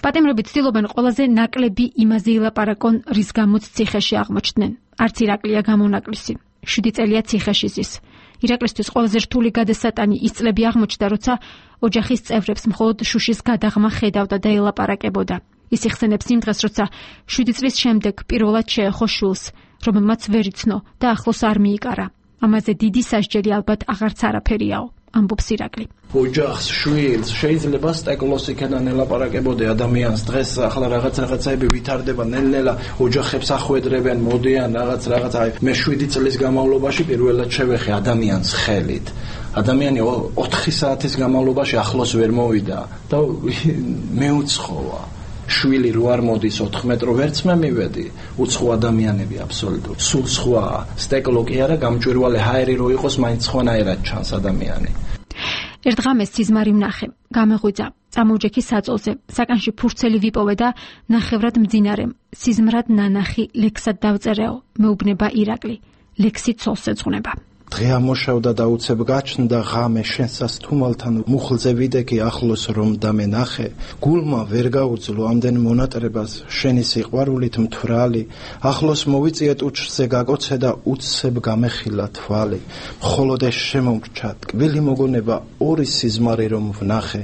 პატიმრები ცდილობენ ყველაზე ნაკლები იმაზე ილაპარაკონ, რის გამოც ციხეში აღმოჩნდნენ. არც ირაკლია გამონაკლისი. შვიდი წელია ციხეში ზის. ირაკლისთვის ყველაზე რთული გადასატანი ის წლები აღმოჩნდა, როცა ოჯახის წევრებს მხოლოდ შუშის გადაღმა ხედავდა და ელაპარაკებოდა. ის იხსენებს იმ დღეს, როცა შვიდი წლის შემდეგ პირველად შეეხო შვილს, რომელმაც ვერ იცნო და ახლოს არ მიიკარა. ამაზე დიდი სასჯელი ალბათ აღარც არაფერიაო. ამბობს ირაკლი. ოჯახს, შვილს შეიძლება სტეკლოს იქიდან ელაპარაკებოდი ადამიანს დღეს ახლა რაღაც რაღაცაები ვითარდება ნელ-ნელა ოჯახებს ახვედრებენ, მოდიან რაღაც რაღაც აი მე შვიდი წლის განმავლობაში პირველად შევეხე ადამიანს ხელით. ადამიანი ოთხი საათის განმავლობაში ახლოს ვერ მოვიდა და მეუცხოა. შვილი რო არ მოდის ოთხ მეტრო ვერც მე მივედი. უცხო ადამიანები აბსოლუტურად. სულ სხვა სტეკლო კი არა, გამჭვირვალე ჰაერი რო იყოს, მაინც სხვანაირად ჩანს ადამიანი. ერთ ღამეს სიზმარი ვნახე, გამეღვიძა, წამოვჯექი საწოლზე, საკანში ფურცელი ვიპოვე და ნახევრად მძინარემ, სიზმრად ნანახი ლექსად დავწერეო, მეუბნება ირაკლი, ლექსი ცოლს ეძღვნება. დღე ამოშავდა და უცებ გაჩნდა ღამე შენსას თუმალთან მუხლზე ვიდექი ახლოს რომ დამენახე გულმა ვერ გაუძლო ამდენ მონატრებას შენი სიყვარულით მთვრალი ახლოს მოვიწიეთ უჩრზე გაკოცე და უცებ გამეხილა თვალი მხოლოდ ეს შემომრჩა ტკბილი მოგონება ორი სიზმარი რომ ვნახე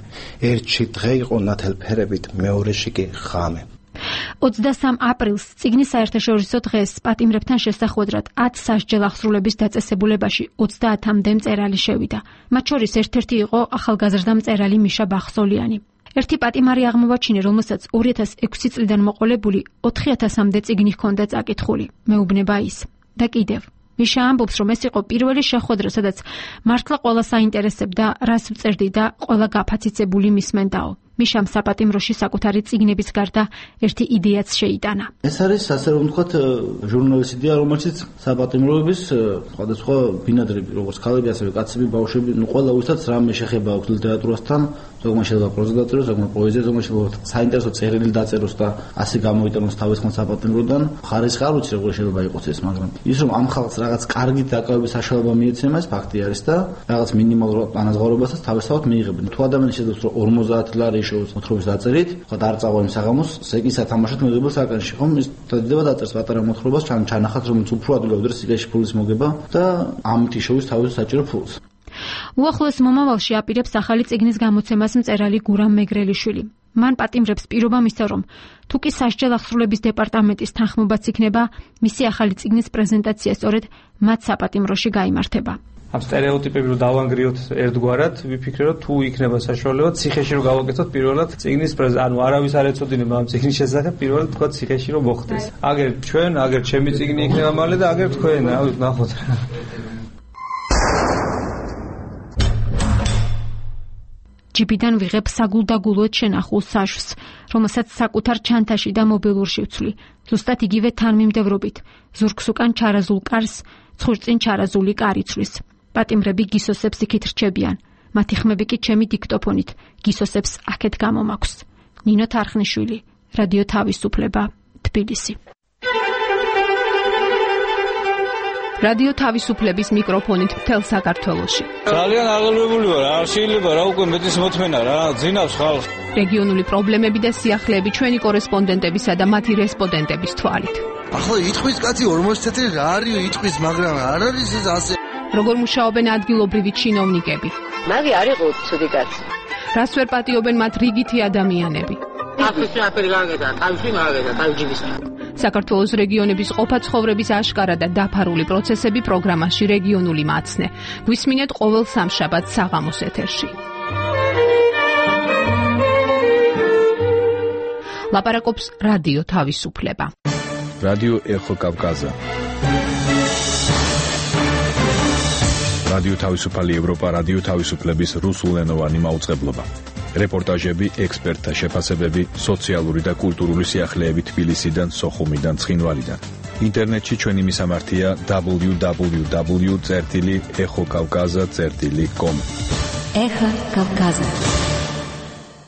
ერთში დღე იყო ნათელფერებით მეორეში კი ღამე ოცდასამ აპრილს წიგნის საერთაშორისო დღეს პატიმრებთან შესახვედრად ათ სასჯელ აღსრულების დაწესებულებაში ოცდაათამდე მწერალი შევიდა. მათ შორის ერთ-ერთი იყო ახალგაზრდა მწერალი მიშა ბახსოლიანი. ერთი პატიმარი აღმოვაჩინე, რომელსაც ორი ათას ექვსი წლიდან მოყოლებული ოთხი ათასამდე წიგნი ჰქონდა წაკითხული. მეუბნება ის. და კიდევ მიშა ამბობს, რომ ეს იყო პირველი შეხვედრა, სადაც მართლა ყველა საინტერესებდა, რას ვწერდი და ყველა გაფაციცებული მისმენდაო. მიშამ საპატიმროში საკუთარი წიგნების გარდა ერთი იდეაც შეიტანა. ეს არის ასე რომ ვთქვათ ჟურნალის იდეა, რომელშიც საპატიმროების სხვადასხვა ბინადრები, როგორც ქალები, ასევე კაცები, ბავშვები, ნუ ყველა ვისაც რამე შეხება აქვს ლიტერატურასთან, ზოგმა შეიძლება პროზა დაწეროს, ზოგმა პოეზია, ზოგმა შეიძლება საინტერესო წერილი დაწეროს და ასე გამოიტანოს თავისხმად საპატიმროდან. ხარისხი არ ვიცი როგორ შეიძლება იყოს ეს, მაგრამ ის რომ ამ ხალხს რაღაც კარგი დაკავების საშუალება მიეცემა, ეს ფაქტი არის და რაღაც მინიმალურ ანაზღაურებასაც თავისთავად მიიღებენ. თუ ადამიანი შეძლებს რომ ორმოცდაათ ლარი მოთხრობის დაწერით, ხო და არ წავა იმ საღამოს, სეკის ათამაშოთ მიღებულ საკანში, ხო, ის დადება დაწერს პატარა მოთხრობას, ჩან ჩანახათ რომ უფრო ადვილად სიკაში ფულის მოგება და ამით იშოვის თავის საჭირო ფულს. უახლოეს მომავალში აპირებს ახალი წიგნის გამოცემას მწერალი გურამ მეგრელიშვილი. მან პატიმრებს პირობა მისცა, რომ თუ კი სასჯელ აღსრულების დეპარტამენტის თანხმობაც იქნება, მისი ახალი წიგნის პრეზენტაცია სწორედ მათ საპატიმროში გაიმართება. ამ სტერეოტიპები რომ დავანგრიოთ ერთგვარად, ვიფიქრე რომ თუ იქნება საშუალება ციხეში რომ გავაკეთოთ პირველად წიგნის პრეზენტაცია, ანუ არავის არ ეცოდინება ამ წიგნის შესახებ, პირველად თქვა ციხეში რომ მოხდეს. აგერ ჩვენ, აგერ ჩემი წიგნი იქნება მალე და აგერ თქვენ, ავით ნახოთ. ჯიბიდან ვიღებ საგულდაგულოდ შენახულ საშვს, რომელსაც საკუთარ ჩანთაში და მობილურში ვცვლი. ზუსტად იგივე თანმიმდევრობით, ზურგს უკან ჩარაზულ კარს, ცხურწინ ჩარაზული კარი ცვლის. პატიმრები გისოსებს იქით რჩებიან. მათი ხმები კი ჩემი დიქტოფონით გისოსებს აქეთ გამომაქვს. ნინო თარხნიშვილი, რადიო თავისუფლება, თბილისი. რადიო თავისუფლების მიკროფონით მთელ საქართველოში. ძალიან აღელვებული ვარ, არ შეიძლება რა უკვე მეტის მოთმენა რა, ძინავს ხალხს. რეგიონული პრობლემები და სიახლეები ჩვენი კორესპონდენტებისა და მათი რესპონდენტების თვალით. ახლა იტყვის კაცი ორმოცი თეთრი რა არის იტყვის, მაგრამ არ არის ეს ასე. როგორ მუშაობენ ადგილობრივი ჩინოვნიკები? მაგი არ იყო ცუდი კაცი. რას ვერ პატიობენ მათ რიგითი ადამიანები? აფრიკა აფერი გაგედა, თავში მაგედა, თავჯიბის. საქართველოს რეგიონების ყოფა ცხოვრების აშკარა და დაფარული პროცესები პროგრამაში რეგიონული მაცნე. გვისმინეთ ყოველ სამშაბათს საღამოს ეთერში. ლაპარაკობს რადიო თავისუფლება. რადიო ეხო კავკაზა. რადიო თავისუფალი ევროპა, რადიო თავისუფლების რუსულენოვანი მაუწყებლობა. რეპორტაჟები, ექსპერტთა შეფასებები, სოციალური და კულტურული სიახლეები თბილისიდან, სოხუმიდან, ცხინვალიდან. ინტერნეტში ჩვენი მისამართია დაბლიუ დაბლიუ დაბლიუ წერტილი ეხო კავკაზა წერტილი კომ. ეხო კავკაზა.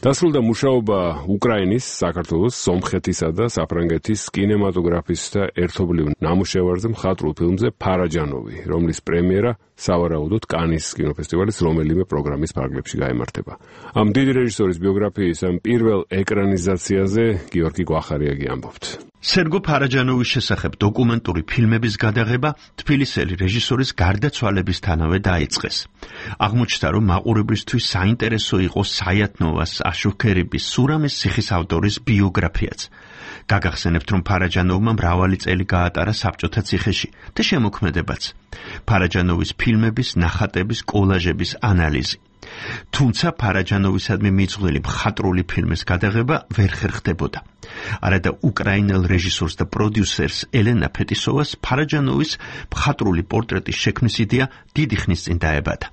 დასრულდა მუშაობა უკრაინის, საქართველოს, სომხეთისა და საფრანგეთის კინემატოგრაფისტთა ერთობლივ ნამუშევარზე მხატვრულ ფილმზე ფარაჯანოვი, რომლის პრემიერა სავარაუდოდ კანის კინოფესტივალის რომელიმე პროგრამის ფარგლებში გაიმართება. ამ დიდი რეჟისორის ბიოგრაფიის ამ პირველ ეკრანიზაციაზე გიორგი გვახარიაგი ამბობთ. სერგო ფარაჯანოვის შესახებ დოკუმენტური ფილმების გადაღება თბილისელი რეჟისორის გარდაცვალებისთანავე დაიწყეს. აღმოჩნდა, რომ მაყურებლისთვის საინტერესო იყო საიათნოვას, აშუქერიბის, სურამის ციხის ავტორის ბიოგრაფიაც. გაგახსენებთ, რომ ფარაჯანოვმა მრავალი წელი გაატარა საბჭოთა ციხეში და შემოქმედებაც. ფარაჯანოვის ფილმების, ნახატების, კოლაჟების ანალიზი. თუმცა ფარაჯანოვისადმი მიძღვნილი მხატვრული ფილმის გადაღება ვერ ხერხდებოდა. არადა უკრაინელ რეჟისორს და პროდიუსერს ელენა ფეტისოვას ფარაჯანოვის მხატვრული პორტრეტის შექმნის იდეა დიდი ხნის წინ დაებადა.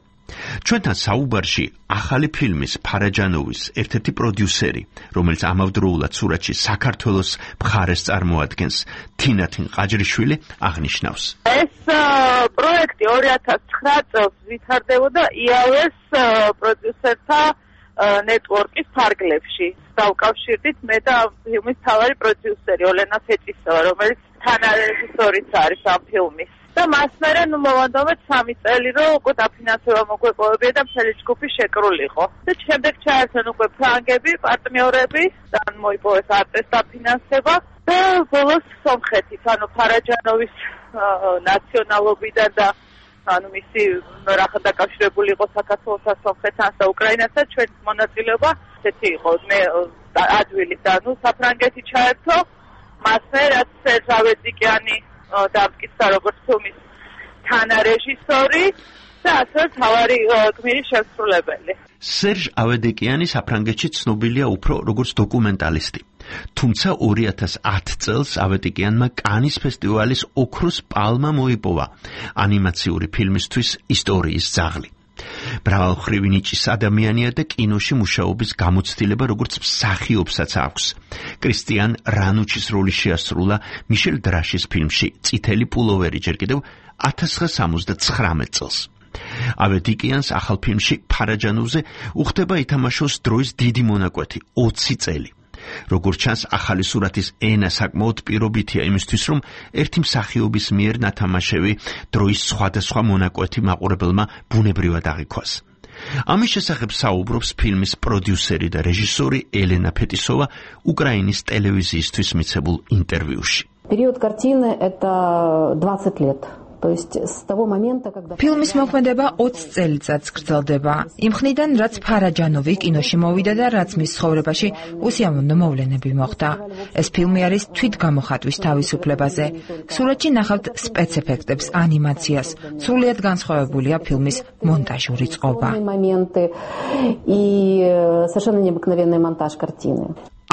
ჩვენთან საუბარში ახალი ფილმის ფარაჯანოვის ერთ-ერთი პროდიუსერი, რომელიც ამავდროულად სურათში საქართველოს მხარეს წარმოადგენს, თინათინ ყაჯრიშვილი აღნიშნავს. ეს პროექტი ორი ათას ცხრა წელს ვითარდებოდა იავეს პროდიუსერთა ნეტვორკის ფარგლებში. დავკავშირდით მე და ფილმის მთავარი პროდიუსერი ოლენა ფეტისოვა, რომელიც თანარეჟისორიც არის ამ ფილმის. და მას მერე ნუ მოვანდომეთ სამი წელი რომ უკვე დაფინანსება მოგვეპოვებია და მთელი ჯგუფი შეკრულიყო. და შემდეგ ჩაერთვენ უკვე ფრანგები, პარტნიორები და მოიპოვეს არტეს დაფინანსება და ბოლოს სომხეთით, ანუ ფარაჯანოვის ნაციონალობიდან და ანუ მისი რახან დაკავშირებული იყო საქართველოსთან, სომხეთთან და უკრაინასთან ჩვენი მონაწილეობა ესეთი იყო. მე ადვილით და ნუ საფრანგეთი ჩაერთო, მას მერე რაც სერჟავეძიკიანი დამტკიცა როგორც ფილმის თანარეჟისორი და ასევე მთავარი გმირის შემსრულებელი. სერჟ ავედეკიანი საფრანგეთში ცნობილია უფრო როგორც დოკუმენტალისტი. თუმცა ორი ათას ათი წელს ავედეკიანმა კანის ფესტივალის ოქროს პალმა მოიპოვა ანიმაციური ფილმისთვის ისტორიის ძაღლი. მრავალმხრივი ნიჭის ადამიანია და კინოში მუშაობის გამოცდილება როგორც მსახიობსაც აქვს. კრისტიან რანუჩის როლი შეასრულა მიშელ დრაშის ფილმში წითელი პულოვერი ჯერ კიდევ ათას ცხრაასა სამოცდათხრამეტ წელს. ავედიკიანს ახალ ფილმში ფარაჯანოვზე უხდება ითამაშოს დროის დიდი მონაკვეთი ოცი წელი. როგორც ჩანს, ახალი სურათის ენა საკმაოდ პირობითია იმისთვის, რომ ერთი მსახიობის მიერ ნათამაშები დროის სხვადასხვა მონაკვეთი მაყურებელმა ბუნებრივად აღიქვას. ამის შესახებ საუბრობს ფილმის პროდიუსერი და რეჟისორი ელენა ფეტისოვა უკრაინის ტელევიზიისთვის მიცემულ ინტერვიუში. Период картины это двадцать лет. ფილმის მოქმედება ოცი წელიწადს გრძელდება. იმ ხნიდან, რაც ფარაჯანოვი კინოში მოვიდა და რაც მის ცხოვრებაში უსიამოვნო მოვლენები მოხდა. ეს ფილმი არის თვითგამოხატვის თავისუფლებაზე. სურათში ნახავთ სპეცეფექტებს, ანიმაციას. სრულიად განსხვავებულია ფილმის მონტაჟური წყობა.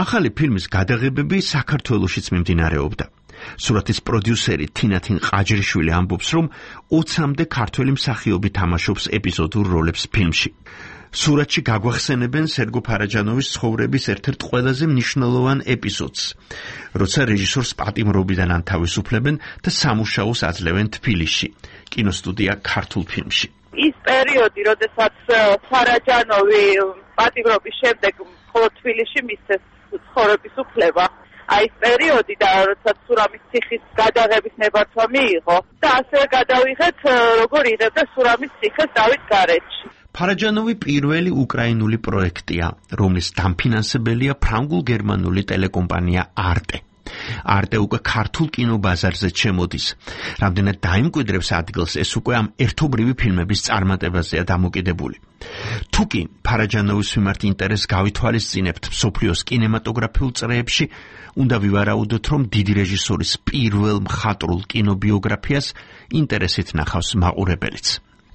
ახალი ფილმის გადაღებები საქართველოშიც მიმდინარეობდა. სურათის პროდიუსერი თინათინ ყაჯრიშვილი ამბობს, რომ ოცამდე ქართველი მსახიობი თამაშობს ეპიზოდურ როლებს ფილმში. სურათში გაგვახსენებენ სერგო ფარაჯანოვის ცხოვრების ერთ-ერთ ყველაზე მნიშვნელოვან ეპიზოდს, როცა რეჟისორს პატიმრობიდან ანთავისუფლებენ და სამუშაოს აძლევენ თბილისში, კინოსტუდია ქართულ ფილმში. ის პერიოდი, როდესაც ფარაჯანოვი პატიმრობის შემდეგ მხოლოდ თბილისში მისცეს ცხოვრების უფლება. აი ეს პერიოდი და როდესაც სურამის ციხის გადაღების ნებართვა მიიღო და ასევე გადავიღეთ როგორ იღებდა სურამის ციხეს დავით გარეჯში. ფარაჯანოვი პირველი უკრაინული პროექტია, რომლის დამფინანსებელია ფრანგულ-გერმანული ტელეკომპანია არტე. არტე უკვე ქართულ კინობაზარზე ჩემოდის. რამდენად დაიმკვიდრებს ადგილს, ეს უკვე ამ ერთობრივი ფილმების წარმატებაზეა დამოკიდებული. თუკი ფარაჯანოვის მიმართ ინტერესს გავითვალისწინებთ მსოფლიოს კინემატოგრაფიულ წრეებში, უნდა ვივარაუდოთ, რომ დიდი რეჟისორის პირველ მხატვრულ კინობიოგრაფიას ინტერესით ნახავს მაყურებელიც.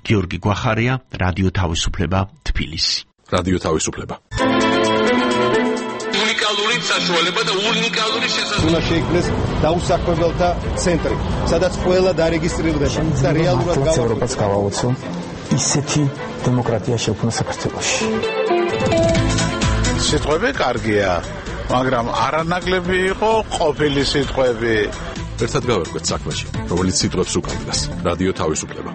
გიორგი გვახარია, რადიო თავისუფლება, თბილისი. რადიო თავისუფლება. უნიკალური საშუალება და უნიკალური შესაძლებლობა. უნდა შეიქმნეს დაუსაქმებელთა ცენტრი, სადაც ყველა დარეგისტრირდება და რეალურად ევროპას გავაოცო ისეთი დემოკრატია შექმნა საქართველოში. სიტყვები კარგია, მაგრამ არანაკლები იყო ყოფილი სიტყვები. ერთად გავერკვეთ საქმეში, რომელიც სიტყვებს უკავშირდება. რადიო თავისუფლება.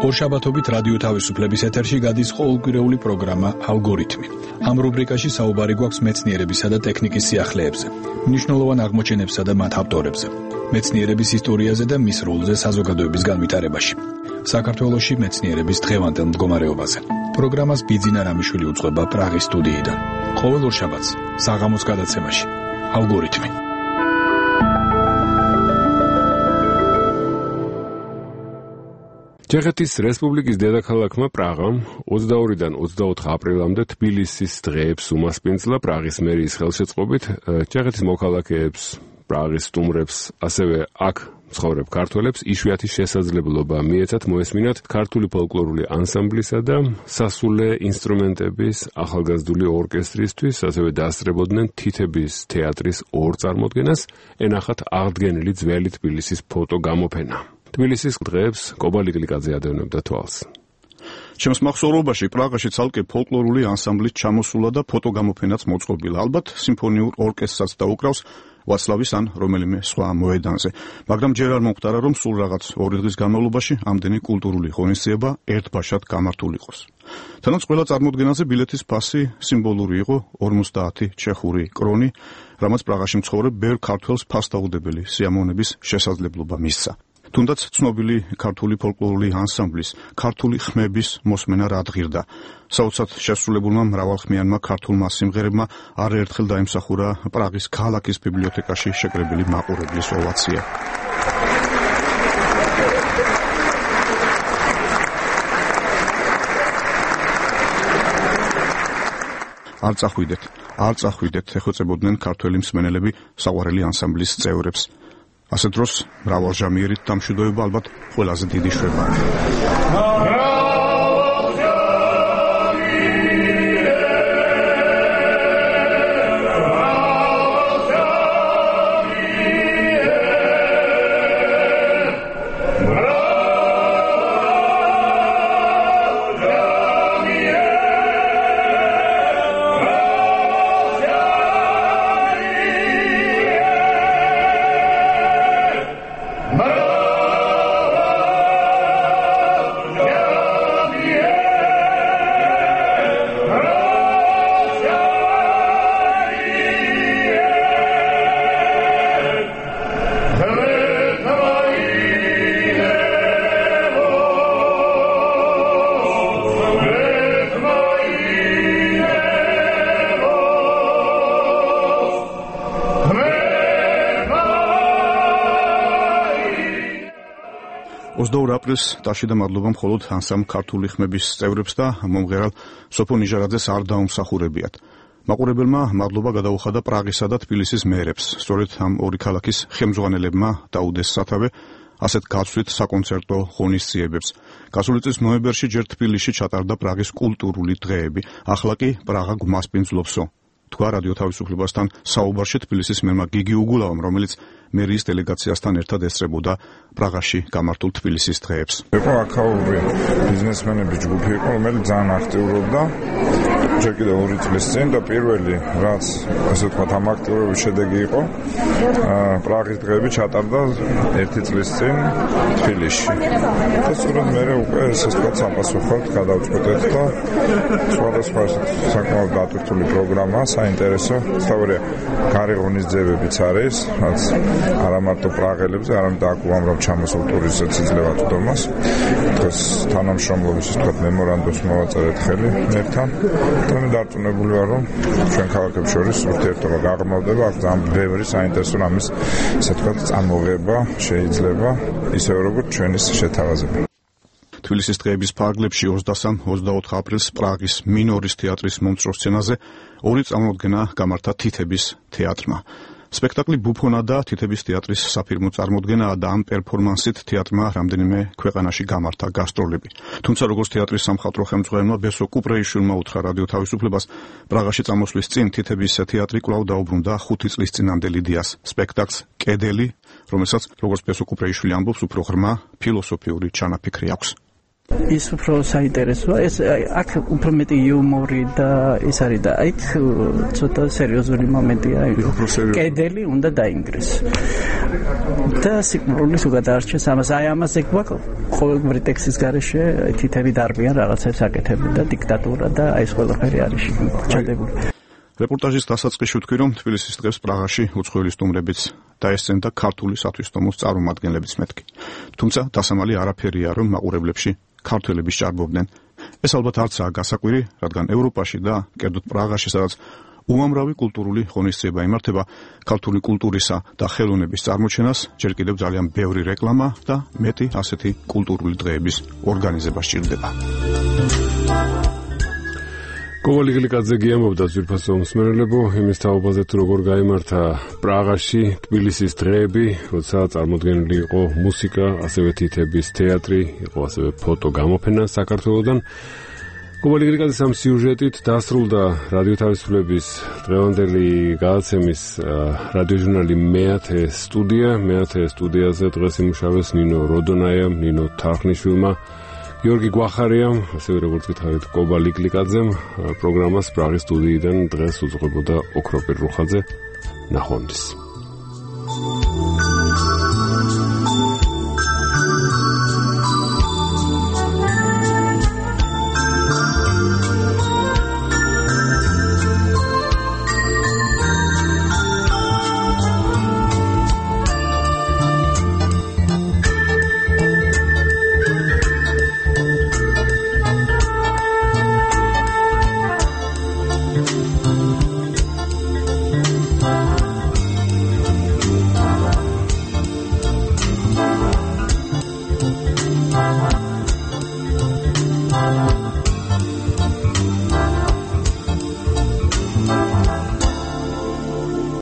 ორშაბათობით რადიო თავისუფლების ეთერში გადის ყოველკვირეული პროგრამა ალგორითმი. ამ რუბრიკაში საუბარი გვაქვს მეცნიერებისა და ტექნიკის სიახლეებზე, მნიშვნელოვან აღმოჩენებსა და მათ ავტორებზე, მეცნიერების ისტორიაზე და მის როლზე საზოგადოების განვითარებაში. საქართველოში მეცნიერების დღევანდელ მდგომარეობაზე. პროგრამას ბიძინა რამიშვილი უძღვება პრაღის სტუდიიდან. ყოველ ორშაბათს საღამოს გადაცემაში ალგორითმი. ჩეხეთის რესპუბლიკის დედაქალაქმა პრაღამ ოცდაორიდან ოცდაოთხ აპრილამდე თბილისის დღეებს უმასპინძლა პრაღის მერიის ხელშეწყობით. ჩეხეთის მოქალაქეებს, პრაღის სტუმრებს, ასევე აქ მცხოვრებ ქართველებს იშვიათი შესაძლებლობა მიეცათ მოესმინათ ქართული ფოლკლორული ანსამბლისა და სასულე ინსტრუმენტების ახალგაზრდული ორკესტრისთვის, ასევე დაასწრებოდნენ თითების თეატრის ორ წარმოდგენას, ენახათ აღდგენილი ძველი თბილისის ფოტო გამოფენა. თბილისის დღეებს კობალი გლიკაძე ადევნებდა თვალს. ჩემს მახსოვრობაში პრაღაში ცალკე ფოლკლორული ანსამბლით ჩამოსულა და ფოტო გამოფენაც მოწყობილა. ალბათ სიმფონიურ ორკესტრსაც დაუკრავს ვაცლავის ან რომელიმე სხვა მოედანზე. მაგრამ ჯერ არ მომხდარა, რომ სულ რაღაც ორი დღის განმავლობაში ამდენი კულტურული ღონისძიება ერთბაშად გამართულ იყოს. თანაც ყველა წარმოდგენაზე ბილეთის ფასი სიმბოლური იყო ორმოცდაათი ჩეხური კრონი, რამაც პრაღაში მცხოვრებ ბევრ ქართველს ფასდაუდებელი სიამოვნების შესაძლებლობა მისცა. თუნდაც ცნობილი ქართული ფოლკლორული ანსამბლის, ქართული ხმების მოსმენა რადგირდა. საოცრად შესრულებულმა მრავალხმიანმა ქართულმა სიმღერებმა არაერთხელ დაიმსახურა პრაღის ქალაქის ბიბლიოთეკაში შეკრებილი მაყურებლის ოვაცია. არ წახვიდეთ, არ წახვიდეთ, ეხოწებოდნენ ქართველი მსმენელები საყვარელი ანსამბლის წევრებს. ასე დროს მრავალჟამიერით დამშვიდობება ალბათ ყველაზე დიდი შვებაა. ოცდაორ აპრილს ტაში და მადლობა მხოლოდ ანსამბლ ქართული ხმების წევრებს და მომღერალ სოფო ნიჟარაძეს არ დაუმსახურებიათ. მაყურებელმა მადლობა გადაუხადა პრაღისა და თბილისის მერებს. სწორედ ამ ორი ქალაქის ხელმძღვანელებმა დაუდეს სათავე ასეთ გაცვლით საკონცერტო ღონისძიებებს. გასული წლის ნოემბერში ჯერ თბილისში ჩატარდა პრაღის კულტურული დღეები. ახლა კი პრაღა გვასპინძლობსო. თქვა რადიო თავისუფლებასთან საუბარში თბილისის მერმა გიგი უგულავამ, რომელიც მერიის დელეგაციასთან ერთად ესწრებოდა პრაღაში გამართულ თბილისის დღეებს. იყო აქაური ბიზნესმენების ჯგუფი იყო, რომელიც ძალიან აქტიურობდა ჯერ კიდევ ორი წლის წინ და პირველი რაც ასე ვთქვათ ამ აქტიურობის შედეგი იყო პრაღის დღეები ჩატარდა ერთი წლის წინ თბილისში. და სწორედ მერე უკვე ესე ვთქვათ საპასუხოდ გადავწყვეტეთ და სხვადასხვა საკმაოდ დატვირთული პროგრამა, საინტერესო, სწორია გარე ღონისძიებებიც არის, რაც არა მარტო პრაღელებზე, არამედ აქ უამრავ ჩამოსულ ტურისტებს იძლევა წვდომას. დღეს თანამშრომლობის ვთქვათ მემორანდუმს მოვაწერეთ ხელი მერთან. და მე დარწმუნებული ვარ, რომ ჩვენ ქალაქებს შორის ურთიერთობა გაღრმავდება, აქ ძალიან ბევრი საინტერესო რამის, ასე ვთქვათ, წარმოღება შეიძლება, ისევე როგორც ჩვენის შეთავაზება. თბილისის დღეების ფარგლებში ოცდასამ ოცდაოთხ აპრილს პრაღის მინორის თეატრის მომცრო სცენაზე ორი წარმოდგენა გამართა თითების თეატრმა. სპექტაკლი ბუფონა და თითების თეატრის საფირმო წარმოდგენაა და ამ პერფორმანსით თეატრმა რამდენიმე ქვეყანაში გამართა გასტროლები. თუმცა როგორც თეატრის სამხატვრო ხელმძღვანელმა ბესო კუპრეიშვილმა უთხრა რადიო თავისუფლებას, პრაღაში წამოსვლის წინ თითების თეატრი კვლავ დაუბრუნდა ხუთი წლის წინამდელი დიას სპექტაკლს კედელი, რომელსაც როგორც ბესო კუპრეიშვილი ამბობს, უფრო ღრმა ფილოსოფიური ჩანაფიქრი აქვს. ის უფრო საინტერესოა, ეს აქ უფრო მეტი იუმორი და ის არის და აი ცოტა სერიოზული მომენტია. კედელი უნდა დაინგრეს. და სიკვდილის უგადარჩეს ამას, აი ამაზე გვაქვს ყოველგვარი ტექსტის გარეშე თითები დარბიან რაღაცებს აკეთებენ და დიქტატურა და აი ეს ყველაფერი არის ჩადებული. რეპორტაჟის დასაწყისში ვთქვი, რომ თბილისის დღეს პრაღაში უცხოელი სტუმრებიც დაესწრებოდა ქართული სათვისტომოს წარმომადგენლებიც მეთქი. თუმცა დასამალი არაფერია, რომ მაყურებლებში ქართველები სჭარბობდნენ. ეს ალბათ არცაა გასაკვირი, რადგან ევროპაში და კერძოდ პრაღაში, სადაც უამრავი კულტურული ღონისძიება იმართება ქართული კულტურისა და ხელოვნების წარმოჩენას, ჯერ კიდევ ძალიან ბევრი რეკლამა და მეტი ასეთი კულტურული დღეების ორგანიზება სჭირდება. კოვალი გლიკაძე გიამბობდა ძვირფასო მსმენელებო იმის თაობაზე თუ როგორ გაიმართა პრაღაში თბილისის დღეები, როცა წარმოდგენილი იყო მუსიკა, ასევე თითების თეატრი, იყო ასევე ფოტო გამოფენა საქართველოსთან. კოვალი გლიკაძეს ამ სიუჟეტით დასრულდა რადიო თავისუფლების დღევანდელი გადაცემის რადიოჟურნალი მეათე სტუდია. მეათე სტუდიაზე დღეს იმუშავეს ნინო როდონაიამ, ნინო თარხნიშვილმა, გიორგი გვახარიამ, ასევე როგორც გითხარით, კოვალი გლიკაძემ. პროგრამას პრაღის სტუდიიდან დღეს უძღვებოდა ოქროპირ რუხაძე. ნახვამდის.